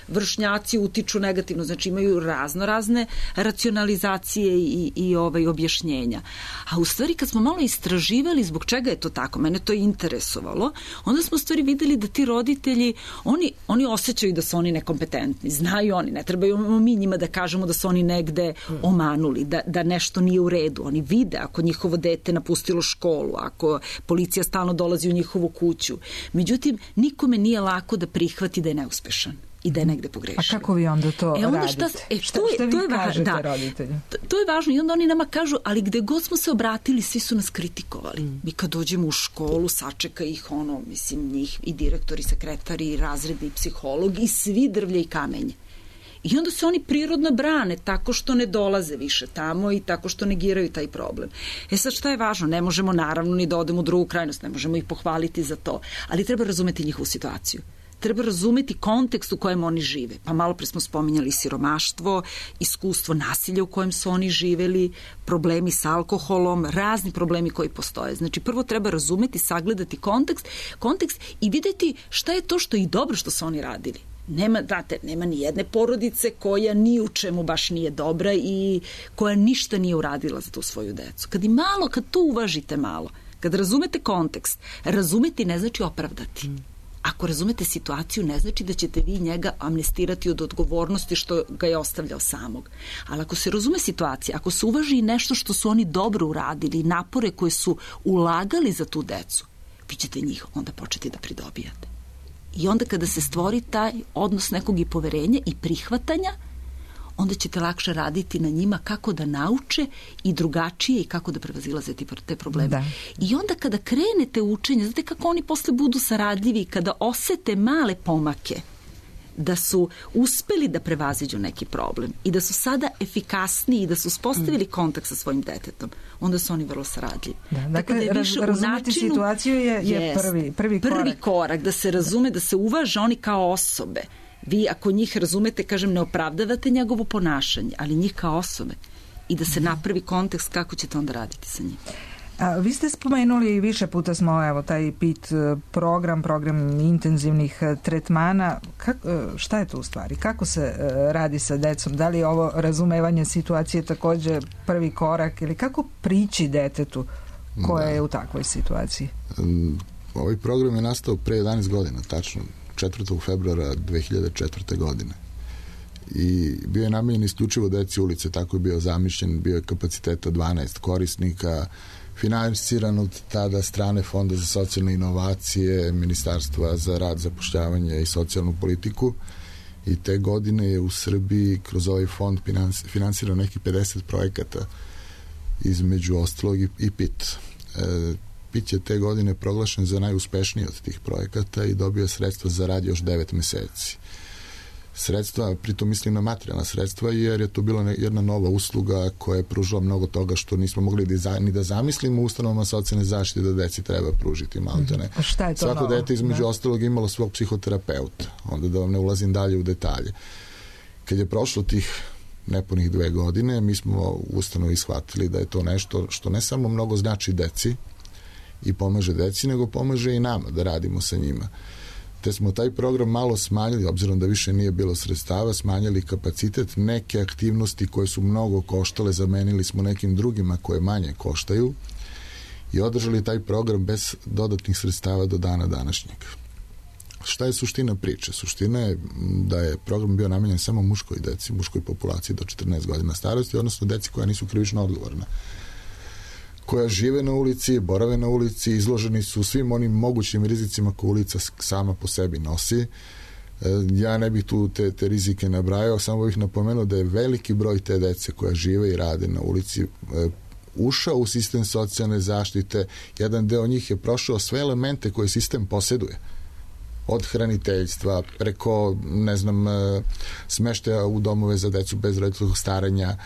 Vršnjaci utiču negativno, znači imaju razno razne racionalizacije i, i ovaj, objašnjenja. A u stvari kad smo malo istraživali zbog čega je to tako, mene to je interesovalo, onda smo u stvari videli da ti roditelji, oni, oni osjećaju da su oni nekompetentni, znaju oni, ne trebaju mi njima da kažemo da su oni negde omanuli, da, da nešto nije u redu. Oni vide ako njihovo dete napustilo školu, ako policija stalno dolazi u njihovu kuću. Međutim, nikome nije lako da prihvati da je neuspešan i da je negde pogrešio. A kako vi onda to e onda radite? Šta, e, šta, to je, šta vi to je kažete da, roditelju? To, to je važno i onda oni nama kažu, ali gde god smo se obratili, svi su nas kritikovali. Mm. Mi kad dođemo u školu, sačeka ih ono, mislim, njih i direktor i sekretar i razredni psiholog i svi drvlje i kamenje. I onda se oni prirodno brane tako što ne dolaze više tamo i tako što negiraju taj problem. E sad šta je važno? Ne možemo naravno ni da odemo u drugu krajnost, ne možemo ih pohvaliti za to, ali treba razumeti njihovu situaciju. Treba razumeti kontekst u kojem oni žive. Pa malo pre smo spominjali siromaštvo, iskustvo nasilja u kojem su oni živeli, problemi sa alkoholom, razni problemi koji postoje. Znači prvo treba razumeti, sagledati kontekst, kontekst i videti šta je to što je i dobro što su oni radili. Nema, znate, nema ni jedne porodice koja ni u čemu baš nije dobra i koja ništa nije uradila za tu svoju decu. Kad i malo, kad to uvažite malo, kad razumete kontekst, razumeti ne znači opravdati. Ako razumete situaciju, ne znači da ćete vi njega amnestirati od odgovornosti što ga je ostavljao samog. Ali ako se razume situacija, ako se uvaži i nešto što su oni dobro uradili, napore koje su ulagali za tu decu, vi ćete njih onda početi da pridobijate. I onda kada se stvori taj odnos nekog i poverenja i prihvatanja, onda ćete lakše raditi na njima kako da nauče i drugačije i kako da prevazilaze te probleme. Da. I onda kada krenete u učenje, znate kako oni posle budu saradljivi, kada osete male pomake, da su uspeli da prevaziđu neki problem i da su sada efikasniji i da su uspostavili kontakt sa svojim detetom, onda su oni vrlo saradljivi. Da, dakle, da raz, razumeti načinu, situaciju je, je yes, prvi, prvi korak. Prvi korak, da se razume, da se uvaže oni kao osobe. Vi ako njih razumete, kažem, ne opravdavate njegovo ponašanje, ali njih kao osobe. I da se napravi kontekst kako ćete onda raditi sa njim. A, vi ste spomenuli, više puta smo, evo, taj P I T program, program intenzivnih tretmana. Kak, šta je to u stvari? Kako se radi sa decom? Da li je ovo razumevanje situacije također prvi korak ili kako prići detetu koje da. je u takvoj situaciji? Ovaj program je nastao pre jedanaest godina, tačno četvrtog februara dve hiljade četvrte. godine. I bio je namenjen isključivo deci ulice, tako je bio zamišljen, bio je kapaciteta dvanaest korisnika, finansiran od tada strane Fonda za socijalne inovacije, Ministarstva za rad, zapošljavanje i socijalnu politiku, i te godine je u Srbiji kroz ovaj fond finansirano nekih pedeset projekata, između ostalog i P I T. E, P I T je te godine proglašen za najuspešniji od tih projekata i dobio sredstva za rad još devet meseci. Sredstva, pritom mislim na materijalna sredstva, jer je to bila jedna nova usluga koja je pružila mnogo toga što nismo mogli ni da zamislimo u ustanovama socijalne zaštite da deci treba pružiti, maltene. A šta je to Svako novo? dete između da. ostalog imalo svog psihoterapeuta, onda da vam ne ulazim dalje u detalje. Kad je prošlo tih nepunih dve godine, mi smo u ustanovi shvatili da je to nešto što ne samo mnogo znači deci i pomaže deci, nego pomaže i nama da radimo sa njima. Te smo taj program malo smanjili, obzirom da više nije bilo sredstava, smanjili kapacitet, neke aktivnosti koje su mnogo koštale, zamenili smo nekim drugima koje manje koštaju i održali taj program bez dodatnih sredstava do dana današnjeg. Šta je suština priče? Suština je da je program bio namenjen samo muškoj deci, muškoj populaciji do četrnaest godina starosti, odnosno deci koja nisu krivično odgovorna, koja žive na ulici, borave na ulici, izloženi su svim onim mogućim rizicima koje ulica sama po sebi nosi. Ja ne bih tu te, te rizike nabrajao, samo bih napomenuo da je veliki broj te dece koja žive i rade na ulici ušao u sistem socijalne zaštite. Jedan deo njih je prošao sve elemente koje sistem posjeduje. Od hraniteljstva, preko, ne znam, smeštaja u domove za decu bez roditeljskog staranja,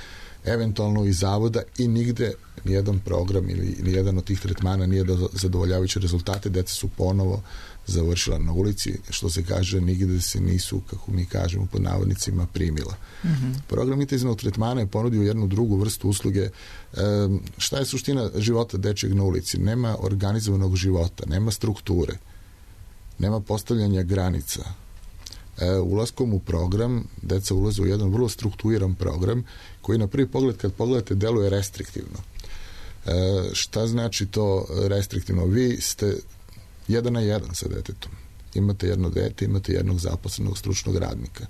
eventualno iz zavoda, i nigde nijedan program ili nijedan od tih tretmana nije do zadovoljavajuće rezultate. Deca su ponovo završila na ulici, što se kaže, nigde se nisu, kako mi kažemo pod navodnicima, primila. Mm-hmm. Program intenzivnog tretmana je ponudio jednu drugu vrstu usluge. E, šta je suština života dečeg na ulici? Nema organizovanog života, nema strukture, nema postavljanja granica. E, ulaskom u program deca ulaze u jedan vrlo strukturiran program koji na prvi pogled, kad pogledate, deluje restriktivno. E, šta znači to restriktivno? Vi ste jedan na jedan sa detetom. Imate jedno dete, imate jednog zaposlenog stručnog radnika.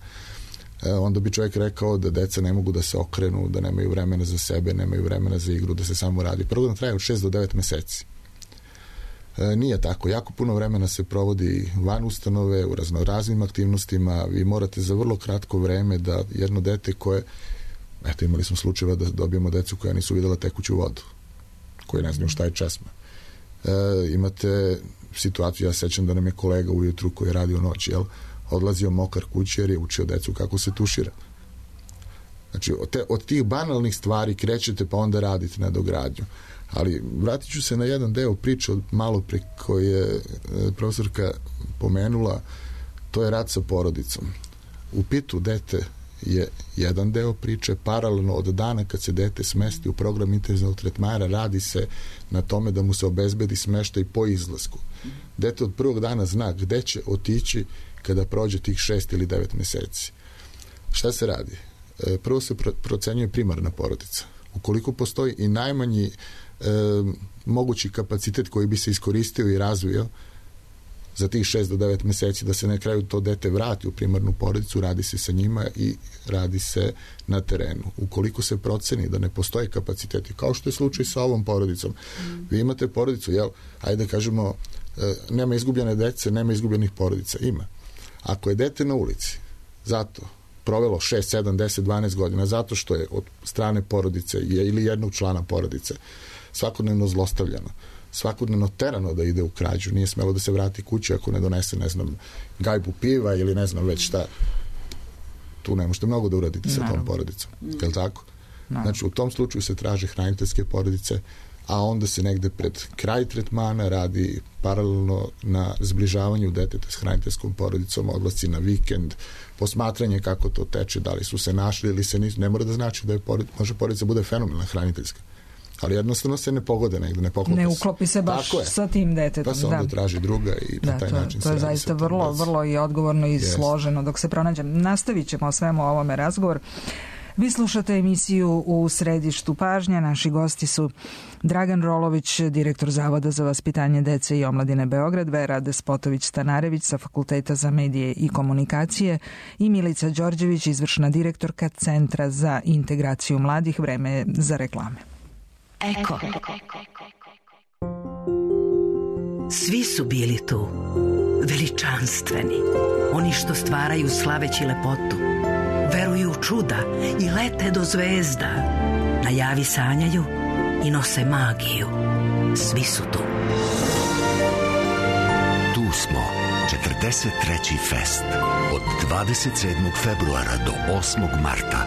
E, onda bi čovjek rekao da deca ne mogu da se okrenu, da nemaju vremena za sebe, nemaju vremena za igru, da se samo radi. Program traje od šest do devet meseci. E, nije tako. Jako puno vremena se provodi van ustanove, u raznoraznim aktivnostima. Vi morate za vrlo kratko vreme da jedno dete koje, eto, imali smo slučajeva da dobijemo decu koja nisu videla tekuću vodu, koje ne znaju šta je česma. E, imate situaciju, ja sećam da nam je kolega ujutru koji je radio noć, jel, odlazio mokar kući jer je učio decu kako se tušira. Znači, od, te, od tih banalnih stvari krećete pa onda radite na dogradnju. Ali vratit ću se na jedan deo priče od malo pre koje je profesorka pomenula, to je rad sa porodicom. U pitu dete je jedan deo priče, paralelno od dana kad se dete smesti u program intenzivnog tretmana, radi se na tome da mu se obezbedi smeštaj po izlasku. Dete od prvog dana zna gde će otići kada prođe tih šest ili devet meseci. Šta se radi? Prvo se procenjuje primarna porodica. Ukoliko postoji i najmanji e, mogući kapacitet koji bi se iskoristio i razvio za tih šest do devet meseci, da se na kraju to dete vrati u primarnu porodicu, radi se sa njima i radi se na terenu. Ukoliko se proceni da ne postoje kapaciteti, kao što je slučaj sa ovom porodicom, mm. vi imate porodicu, jel, ajde da kažemo, e, nema izgubljene dece, nema izgubljenih porodica, ima. Ako je dete na ulici, zato provelo šest, sedam, deset, dvanaest godina, zato što je od strane porodice ili jednog člana porodice svakodnevno zlostavljano, svakodnevno terano da ide u krađu, nije smelo da se vrati kući ako ne donese, ne znam, gajbu piva ili ne znam već šta. Tu ne možete mnogo da uradite sa tom porodicom. Je li tako? Znači, u tom slučaju se traže hraniteljske porodice, a onda se negde pred kraj tretmana radi paralelno na zbližavanju deteta s hraniteljskom porodicom, odlasci na vikend, posmatranje kako to teče, da li su se našli ili se nisu. Ne mora da znači da je porodica, može porodica bude fenomenalna hraniteljska, ali jednostavno se ne pogode negde, ne poklopi se. Ne uklopi se baš sa tim detetom. Pa se onda da. traži druga i na da, taj to, način to je zaista vrlo, vrlo i odgovorno i yes. složeno dok se pronađe. Nastavit ćemo o svemu ovome razgovor. Vi slušate emisiju U središtu pažnja. Naši gosti su Dragan Rolović, direktor Zavoda za vaspitanje dece i omladine Beograd, Vera Despotović-Stanarević sa Fakulteta za medije i komunikacije i Milica Đorđević, izvršna direktorka Centra za integraciju mladih. Vreme je za reklame. Eko. Svi su bili tu, veličanstveni, oni što stvaraju slaveći lepotu, veruju u čuda i lete do zvezda, na javi sanjaju i nose magiju. Svi su tu. Tu smo, četrdeset treći fest, od dvadeset sedmog februara do osmog marta,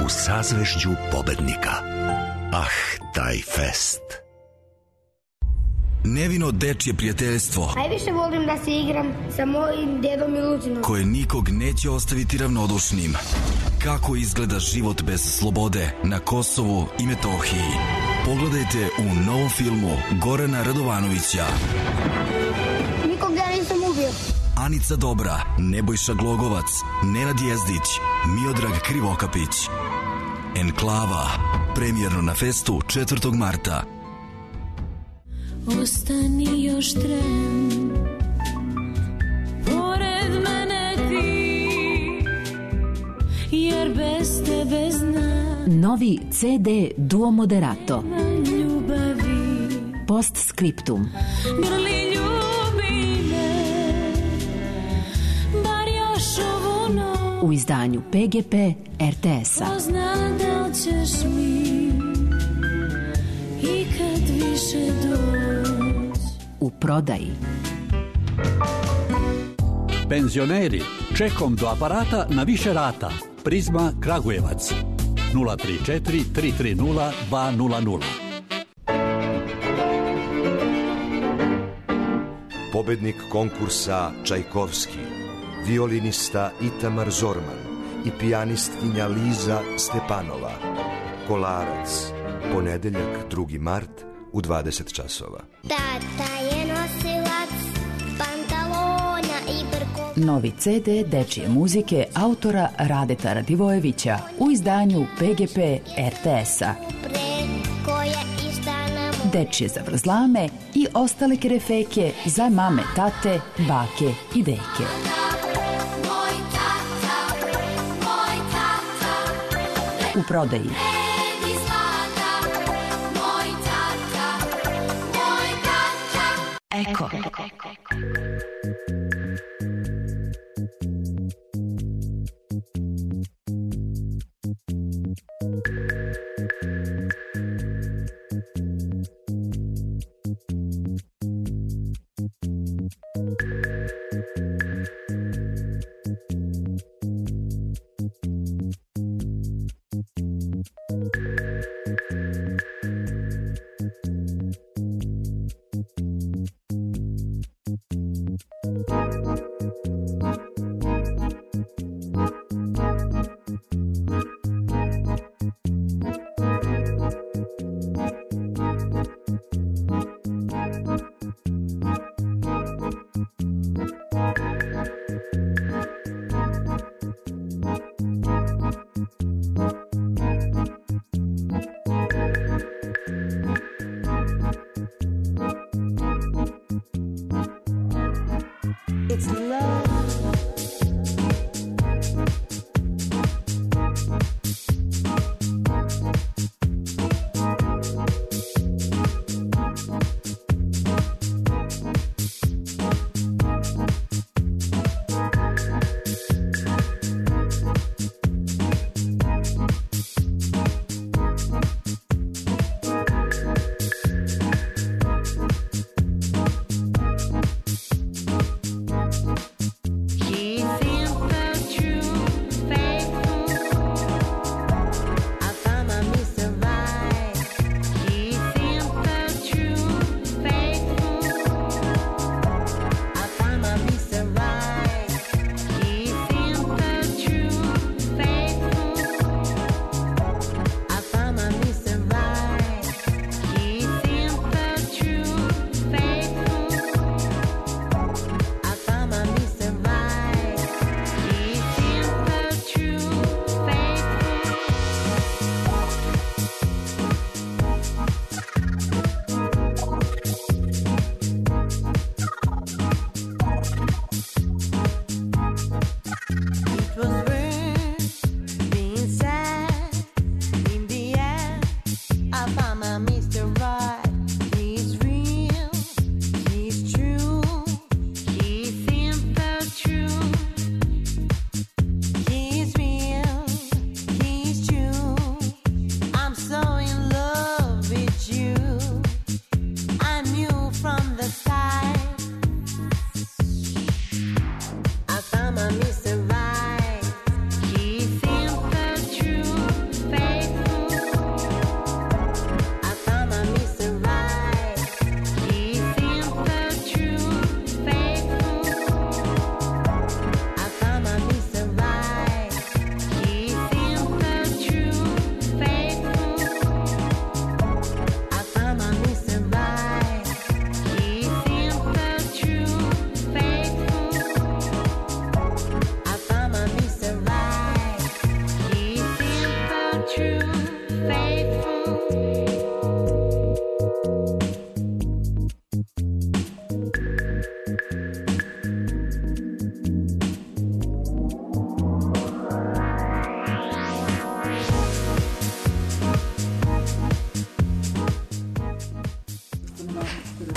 u sazvežđu pobednika. Ah, taj fest. Nevino dečje prijateljstvo. Najviše volim da se igram sa mojim dedom i Lucinom. Koje nikog neće ostaviti ravnodušnim. Kako izgleda život bez slobode na Kosovu i Metohiji. Pogledajte u novom filmu Gorana Radovanovića. Nikog ja nisam ubio. Anica Dobra, Nebojša Glogovac, Nenad Jezdić, Miodrag Krivokapić. Enklava, premijerno na festu četvrtog marta. Ostani još tren, pored mene ti, jer bez tebe znam. Novi ce de Duo Moderato. Ljubavi. Postscriptum. Grli ljubi me, bar još ovu noć. U izdanju pe ge pe er te es-a. Pozna da li ćeš mi i kad više doći. U prodaji. Penzioneri, čekom do aparata na više rata. Prizma Kragujevac. nula tri četiri tri tri nula dva nula nula. Pobednik konkursa Čajkovski, violinista Itamar Zorman i pijanistkinja Liza Stepanova. Kolarac, ponedeljak drugi mart u dvadeset časova. Tata je nosilac pantalona i brko. Novi ce de dečije muzike autora Radeta Radivojevića u izdanju pe ge pe er te es-a. Dečije zavrzlame i ostale kerefeke za mame, tate, bake i deke. U prodaji. Eko.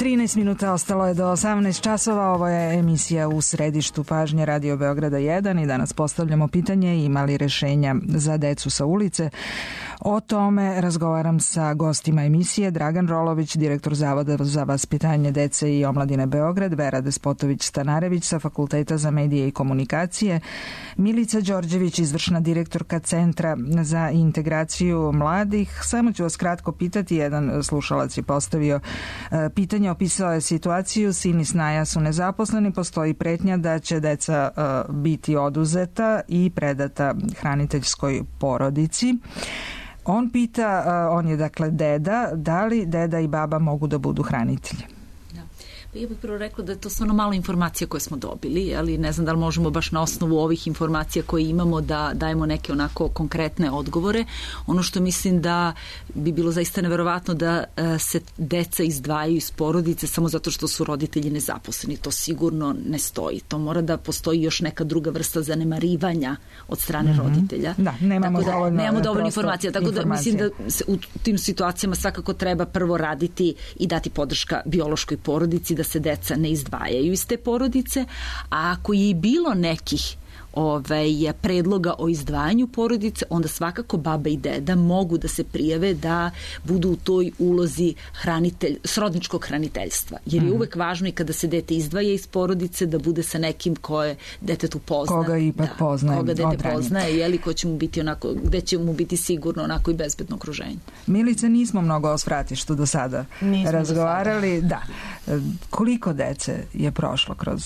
trinaest minuta ostalo je do osamnaest časova. Ovo je emisija U središtu pažnje Radio Beograda jedan i danas postavljamo pitanje ima li rešenja za decu sa ulice. O tome razgovaram sa gostima emisije: Dragan Rolović, direktor Zavoda za vaspitanje dece i omladine Beograd, Vera Despotović-Stanarević sa Fakulteta za medije i komunikacije, Milica Đorđević, izvršna direktorka Centra za integraciju mladih. Samo ću vas kratko pitati, jedan slušalac je postavio pitanje, opisao je situaciju: sin i snaja su nezaposleni, postoji pretnja da će deca biti oduzeta i predata hraniteljskoj porodici. On pita, on je dakle deda, da li deda i baba mogu da budu hranitelji? Ja bih prvo rekla da je to stvarno malo informacija koje smo dobili, ali ne znam da li možemo baš na osnovu ovih informacija koje imamo da dajemo neke onako konkretne odgovore. Ono što mislim da bi bilo zaista neverovatno da se deca izdvajaju iz porodice samo zato što su roditelji nezaposleni. To sigurno ne stoji. To mora da postoji još neka druga vrsta zanemarivanja od strane mm-hmm. roditelja. Da, nemamo tako da, dovoljno, nemamo dovoljno informacija. Tako da mislim da se u tim situacijama svakako treba prvo raditi i dati podrška biološkoj porodici, da se deca ne izdvajaju iz te porodice, a ako je i bilo nekih ovaj, predloga o izdvajanju porodice, onda svakako baba i deda mogu da se prijave da budu u toj ulozi hranitelj, srodničkog hraniteljstva. Jer je uvek važno i kada se dete izdvaja iz porodice da bude sa nekim koje detetu pozna. Koga ipak da, poznaje. Koga dete odranije. Poznaje, jeli, ko će mu biti onako, gde će mu biti sigurno onako i bezbedno okruženje. Milice, nismo mnogo o svratištu do sada nismo razgovarali. Do sada. Da. Koliko dece je prošlo kroz...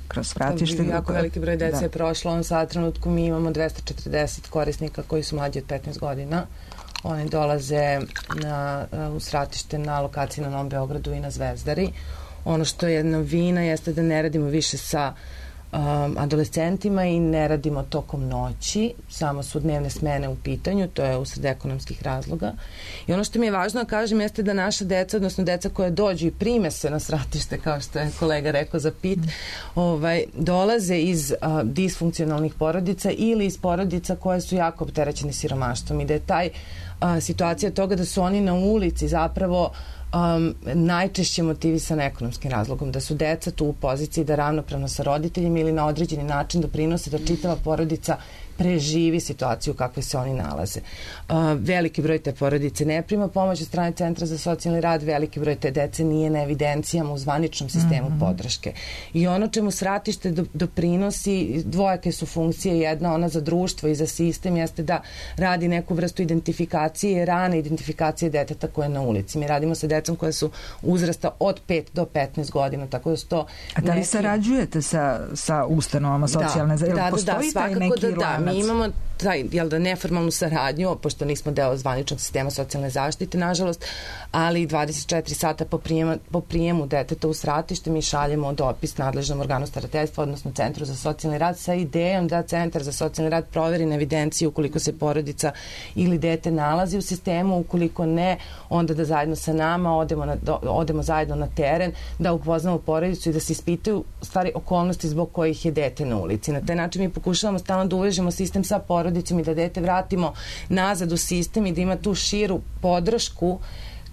kroz vratište. Jako veliki broj dece da. je prošlo. On sad trenutku mi imamo dvesta četrdeset korisnika koji su mlađi od petnaest godina. Oni dolaze na, u svratište na lokaciji na Novom Beogradu i na Zvezdari. Ono što je novina jeste da ne radimo više sa um, adolescentima i ne radimo tokom noći, samo su dnevne smene u pitanju, to je usled ekonomskih razloga. I ono što mi je važno da kažem jeste da naša deca, odnosno deca koja dođu i prime se na svratište, kao što je kolega rekao za pit, mm. ovaj, dolaze iz uh, disfunkcionalnih porodica ili iz porodica koje su jako opterećene siromaštvom i da je taj uh, situacija toga da su oni na ulici zapravo Um, najčešće motivisana ekonomskim razlogom, da su deca tu u poziciji da ravnopravno sa roditeljima ili na određeni način doprinose da čitava porodica preživi situaciju u kakvoj se oni nalaze. Uh, veliki broj te porodice ne prima pomoć od strane Centra za socijalni rad, veliki broj te dece nije na evidencijama u zvaničnom sistemu mm-hmm. podrške. I ono čemu svratište do, doprinosi, dvojake su funkcije, jedna ona za društvo i za sistem, jeste da radi neku vrstu identifikacije, rane identifikacije deteta koje je na ulici. Mi radimo sa decom koje su uzrasta od pet do petnaest godina, tako da su to... A da li neki... sarađujete sa, sa ustanovama socijalne zaštite? Da, da, da, da, svakako da da. Mi imamo taj, jel da, neformalnu saradnju, pošto nismo deo zvaničnog sistema socijalne zaštite, nažalost, ali dvadeset četiri sata po, prijema, po prijemu deteta u svratište mi šaljemo dopis nadležnom organu starateljstva, odnosno Centru za socijalni rad, sa idejom da Centar za socijalni rad proveri na evidenciju ukoliko se porodica ili dete nalazi u sistemu, ukoliko ne, onda da zajedno sa nama odemo, na, do, odemo zajedno na teren, da upoznamo porodicu i da se ispitaju stvari okolnosti zbog kojih je dete na ulici. Na taj način mi pokušavamo stalno da uvežemo sistem sa porodicom i da dete vratimo nazad u sistem i da ima tu širu podršku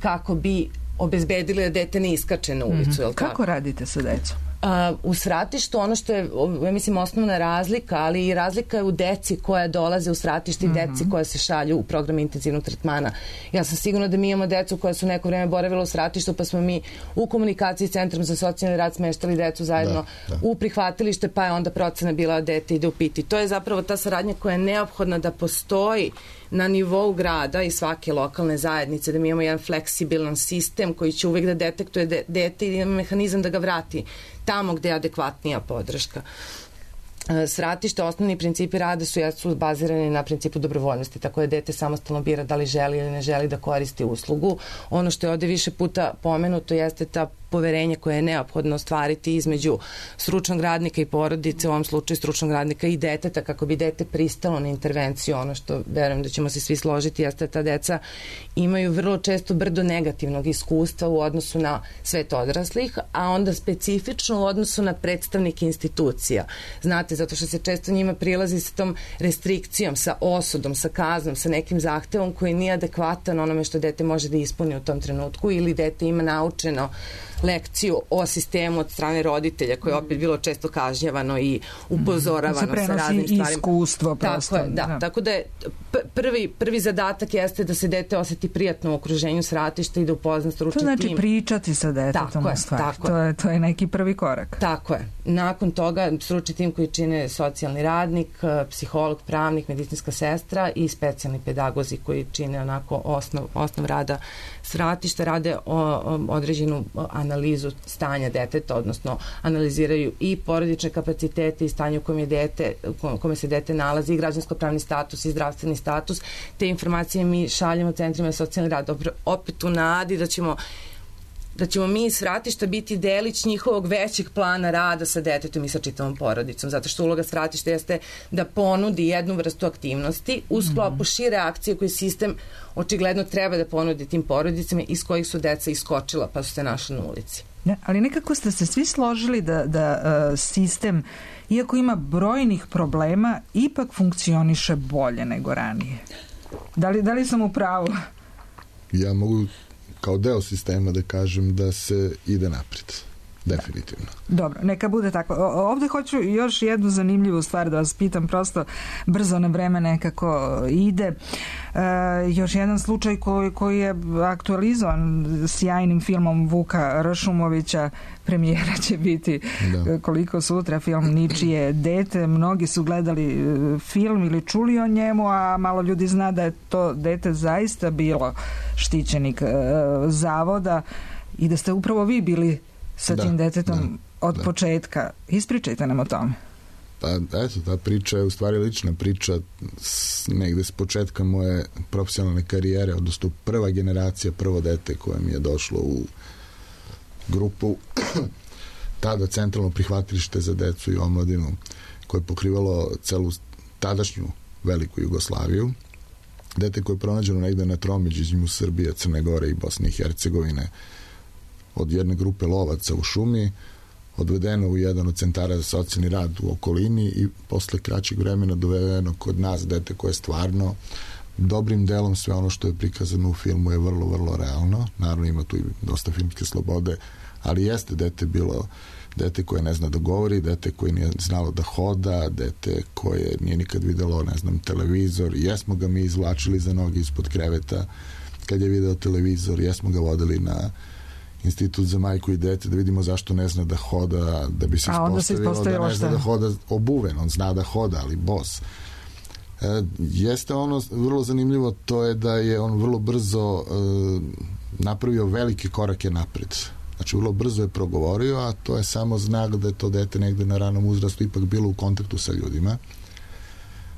kako bi obezbedili da dete ne iskače na ulicu. Mm-hmm. Kako radite sa decom? Uh, u svratištu ono što je, ja mislim, osnovna razlika, ali i razlika je u deci koja dolaze u svratište i mm-hmm. deci koja se šalju u program intenzivnog tretmana. Ja sam sigurna da mi imamo decu koja su neko vreme boravila u svratištu, pa smo mi u komunikaciji s Centrom za socijalni rad smeštali decu zajedno da, da. u prihvatilište, pa je onda procena bila dete ide u piti. To je zapravo ta saradnja koja je neophodna da postoji na nivou grada i svake lokalne zajednice, da mi imamo jedan fleksibilan sistem koji će uvek da detektuje de, dete i ima mehanizam da ga vrati tamo gde je adekvatnija podrška. Svratište, osnovni principi rada su, su bazirani na principu dobrovoljnosti, tako da dete samostalno bira da li želi ili ne želi da koristi uslugu. Ono što je ovde više puta pomenuto jeste ta poverenje koje je neophodno ostvariti između stručnog radnika i porodice, u ovom slučaju stručnog radnika i deteta, kako bi dete pristalo na intervenciju. Ono što verujem da ćemo se svi složiti jeste da ta deca imaju vrlo često brdo negativnog iskustva u odnosu na svet odraslih, a onda specifično u odnosu na predstavnike institucija. Znate, zato što se često njima prilazi sa tom restrikcijom, sa osudom, sa kaznom, sa nekim zahtevom koji nije adekvatan onome što dete može da ispuni u tom trenutku ili dete ima naučeno lekciju o sistemu od strane roditelja, koje je opet bilo često kažnjavano i upozoravano mm. sa raznim stvarima. Iskustvo prosto. Tako je, da. da. Tako da je prvi, prvi zadatak jeste da se dete osjeti prijatno u okruženju svratišta i da upozna stručni tim. To znači tim. Pričati sa detetom u stvari. Tako to, je, to je neki prvi korak. Tako je. Nakon toga stručni tim koji čine socijalni radnik, psiholog, pravnik, medicinska sestra i specijalni pedagozi koji čine onako osnov, osnov rada svratišta, rade o, o, određenu analizu stanja deteta, odnosno analiziraju i porodične kapacitete i stanje u kome, je dete, u kome se dete nalazi i građansko-pravni status i zdravstveni status. Te informacije mi šaljemo centrima socijalni rad, opet u nadi da ćemo da ćemo mi iz svratišta biti delić njihovog većeg plana rada sa detetom i sa čitavom porodicom, zato što uloga svratišta jeste da ponudi jednu vrstu aktivnosti u sklopu šire akcije koju sistem očigledno treba da ponudi tim porodicama iz kojih su deca iskočila pa su se našli na ulici. Ne, ali nekako ste se svi složili da, da uh, sistem, iako ima brojnih problema, ipak funkcioniše bolje nego ranije. Da li, da li sam u pravu? Ja mogu kao deo sistema da kažem da se ide naprijed. Definitivno. Dobro, neka bude tako. O, ovde hoću još jednu zanimljivu stvar da vas pitam, prosto brzo na vreme nekako ide. E, još jedan slučaj koji, koji je aktualizovan sjajnim filmom Vuka Ršumovića, premijera će biti da. koliko sutra, film Ničije dete. Mnogi su gledali film ili čuli o njemu, a malo ljudi zna da je to dete zaista bilo štićenik e, zavoda i da ste upravo vi bili sa da, tim detetom da, od da. početka. Ispričajte nam o tome. Pa, eto, ta priča je u stvari lična priča s, negde s početka moje profesionalne karijere, odnosno prva generacija, prvo dete koje mi je došlo u grupu tada centralno prihvatilište za decu i omladinu koje je pokrivalo celu tadašnju veliku Jugoslaviju. Dete koje je pronađeno negde na tromeđi između Srbije, Crne Gore i Bosne i Hercegovine od jedne grupe lovaca u šumi, odvedeno u jedan od centara za socijalni rad u okolini i posle kraćeg vremena dovedeno kod nas dete koje je stvarno dobrim delom sve ono što je prikazano u filmu je vrlo, vrlo realno. Naravno ima tu i dosta filmske slobode, ali jeste dete bilo dete koje ne zna da govori, dete koje nije znalo da hoda, dete koje nije nikad videlo, ne znam, televizor. Jesmo ga mi izvlačili za noge ispod kreveta kad je video televizor, jesmo ga vodili na Institut za majku i dete da vidimo zašto ne zna da hoda, da bi se ispostavilo da ne zna da hoda obuven, on zna da hoda, ali bos. E, jeste ono vrlo zanimljivo, to je da je on vrlo brzo e, napravio velike korake napred. Znači, vrlo brzo je progovorio, a to je samo znak da je to dete negde na ranom uzrastu ipak bilo u kontaktu sa ljudima.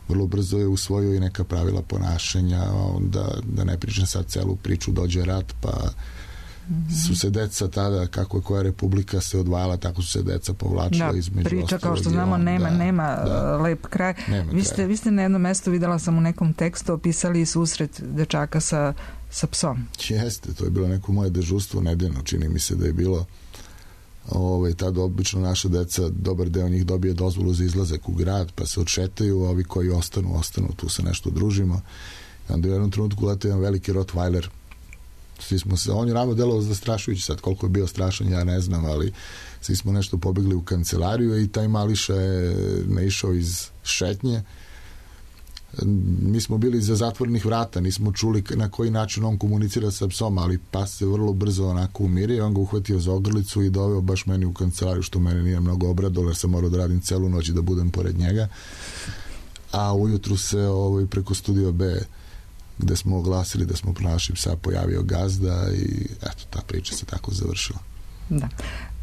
Vrlo brzo je usvojio i neka pravila ponašanja, onda, da ne pričam sad celu priču, dođe rat, pa mm-hmm. su se deca tada, kako je koja republika se odvajala, tako su se deca povlačila da, između priča, kao što znamo, nema, da, nema da, lep kraj. Nema vi, ste, kraj. vi ste na jednom mestu, videla sam u nekom tekstu, opisali susret dečaka sa, sa psom. Jeste, to je bilo neko moje dežurstvo nedeljno, čini mi se da je bilo ovaj, tada obično naša deca, dobar deo njih dobije dozvolu za izlazak u grad, pa se odšetaju, a ovi koji ostanu, ostanu, tu se nešto družimo. I onda u jednom trenutku lete jedan veliki Rottweiler. Svi smo se, on je ramo delovao zastrašujući, sad koliko je bio strašan ja ne znam, ali svi smo nešto pobegli u kancelariju i taj mališa je naišao iz šetnje. Mi smo bili iza zatvorenih vrata, nismo čuli na koji način on komunicira sa psom, ali pas se vrlo brzo onako umirio, on ga uhvatio za ogrlicu i doveo baš meni u kancelariju, što mene nije mnogo obradilo, jer sam morao da radim celu noć i da budem pored njega. A ujutru se ovaj, preko Studio B, gde smo oglasili da smo pronašli psa, pojavio gazda i eto, ta priča se tako završila. Da.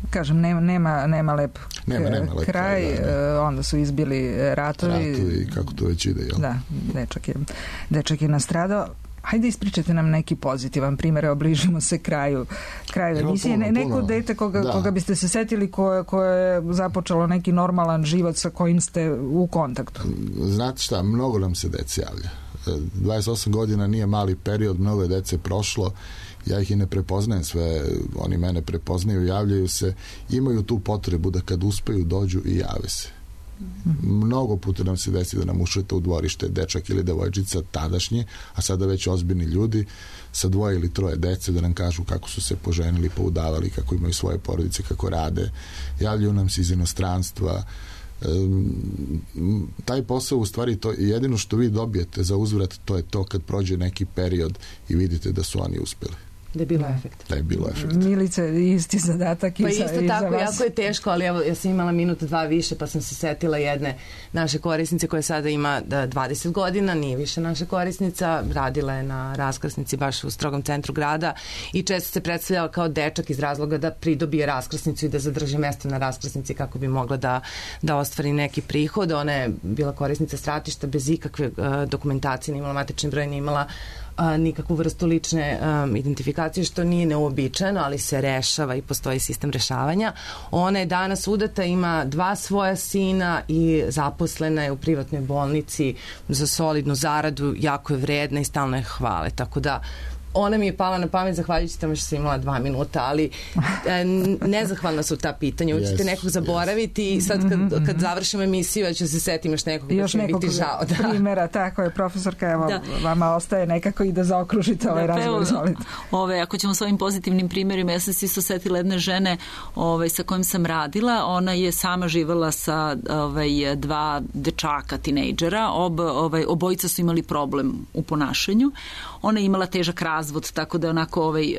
Kažem, nema, nema, nema lep nema, nema lep kraj, kraj da, da. Onda su izbili ratovi. Ratovi, kako to već ide, jel? Da, dečak je, dečak je nastradao. Hajde ispričajte nam neki pozitivan primjer, obližimo se kraju kraju emisije. Ne, neko puno. Dete koga, da. koga biste se setili koje, koje je započelo neki normalan život sa kojim ste u kontaktu. Znate šta, mnogo nam se dece javlja. dvadeset osam godina nije mali period, mnogo je dece prošlo, ja ih i ne prepoznajem sve, oni mene prepoznaju, javljaju se, imaju tu potrebu da kad uspeju dođu i jave se. Mnogo puta nam se desi da nam ušete u dvorište dečak ili devojčica tadašnji, a sada već ozbiljni ljudi sa dvoje ili troje dece da nam kažu kako su se poženili, poudavali, kako imaju svoje porodice, kako rade. Javljaju nam se iz inostranstva. E, taj posao u stvari to, jedino što vi dobijete za uzvrat, to je to kad prođe neki period i vidite da su oni uspeli. Da je bilo efekt. Da je bilo efekt. Milice, isti zadatak pa i za, isto i tako, za vas. jako je teško, ali evo, ja sam imala minut, dva više, pa sam se setila jedne naše korisnice koja sada ima dvadeset godina, nije više naša korisnica, radila je na raskrsnici baš u strogom centru grada i često se predstavljala kao dečak iz razloga da pridobije raskrsnicu i da zadrži mesto na raskrsnici kako bi mogla da, da ostvari neki prihod. Ona je bila korisnica stratišta bez ikakve uh, dokumentacije, nije imala matični broj, nije imala a, nikakvu vrstu lične um, identifikacije, što nije neobičajeno, ali se rešava i postoji sistem rešavanja. Ona je danas udata, ima dva svoja sina i zaposlena je u privatnoj bolnici za solidnu zaradu, jako je vredna i stalno je hvale. Tako da ona mi je pala na pamet zahvaljujući tome što sam imala dva minuta, ali e, nezahvalna su ta pitanja. Uvijek ćete yes, nekog zaboraviti yes. i sad kad, kad završimo emisiju ja ću se setim još nekog još da će mi biti žao. Da. Primjera, tako je, profesorka, evo, da. Vama ostaje nekako i da zaokružite ovaj da, razgovor. Ove, ako ćemo s ovim pozitivnim primjerima, ja sam se isto setila jedne žene ove, sa kojim sam radila, ona je sama živala sa ove, dva dečaka, tinejdžera, Ob, ove, obojica su imali problem u ponašanju. Ona je imala težak razvod, tako da je onako ovaj,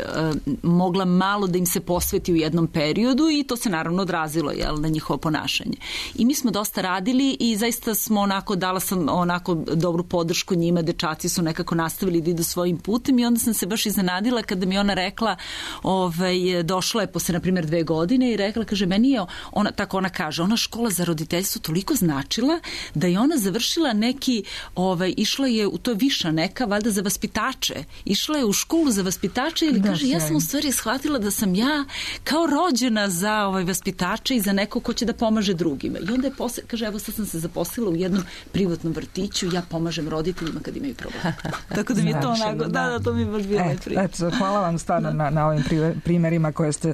mogla malo da im se posveti u jednom periodu i to se naravno odrazilo jel, na njihovo ponašanje. I mi smo dosta radili i zaista smo onako, dala sam onako dobru podršku njima, dečaci su nekako nastavili da idu svojim putem i onda sam se baš iznenadila kada mi ona rekla, ovaj, došla je posle na primjer dve godine i rekla, kaže, meni je, ona, tako ona kaže, ona škola za roditeljstvo toliko značila da je ona završila neki, ovaj, išla je, u to je viša neka, valjda za vaspitače, išla je u školu za vaspitače ili da, kaže, ja sam u stvari shvatila da sam ja kao rođena za ovaj vaspitače i za neko ko će da pomaže drugima. I onda je posle, kaže, evo sad sam se zaposlila u jednom privatnom vrtiću, ja pomažem roditeljima kad imaju problem. Tako da mi je to onako, da, da, to mi je baš bilo et, et, hvala vam stvarno na, na ovim primjerima koje ste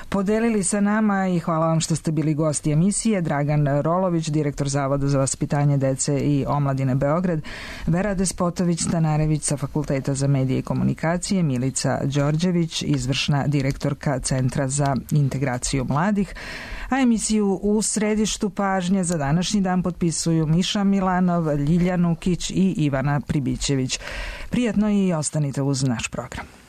podelili sa nama i hvala vam što ste bili gosti emisije. Dragan Rolović, direktor Zavoda za vaspitanje dece i omladine Beograd, Vera Despotović-Stanarević sa Fakulteta za medije i komunikacije, Milica Đorđević, izvršna direktorka Centra za integraciju mladih, a emisiju U središtu pažnje za današnji dan potpisuju Miša Milanov, Ljilja Nukić i Ivana Pribićević. Prijatno i ostanite uz naš program.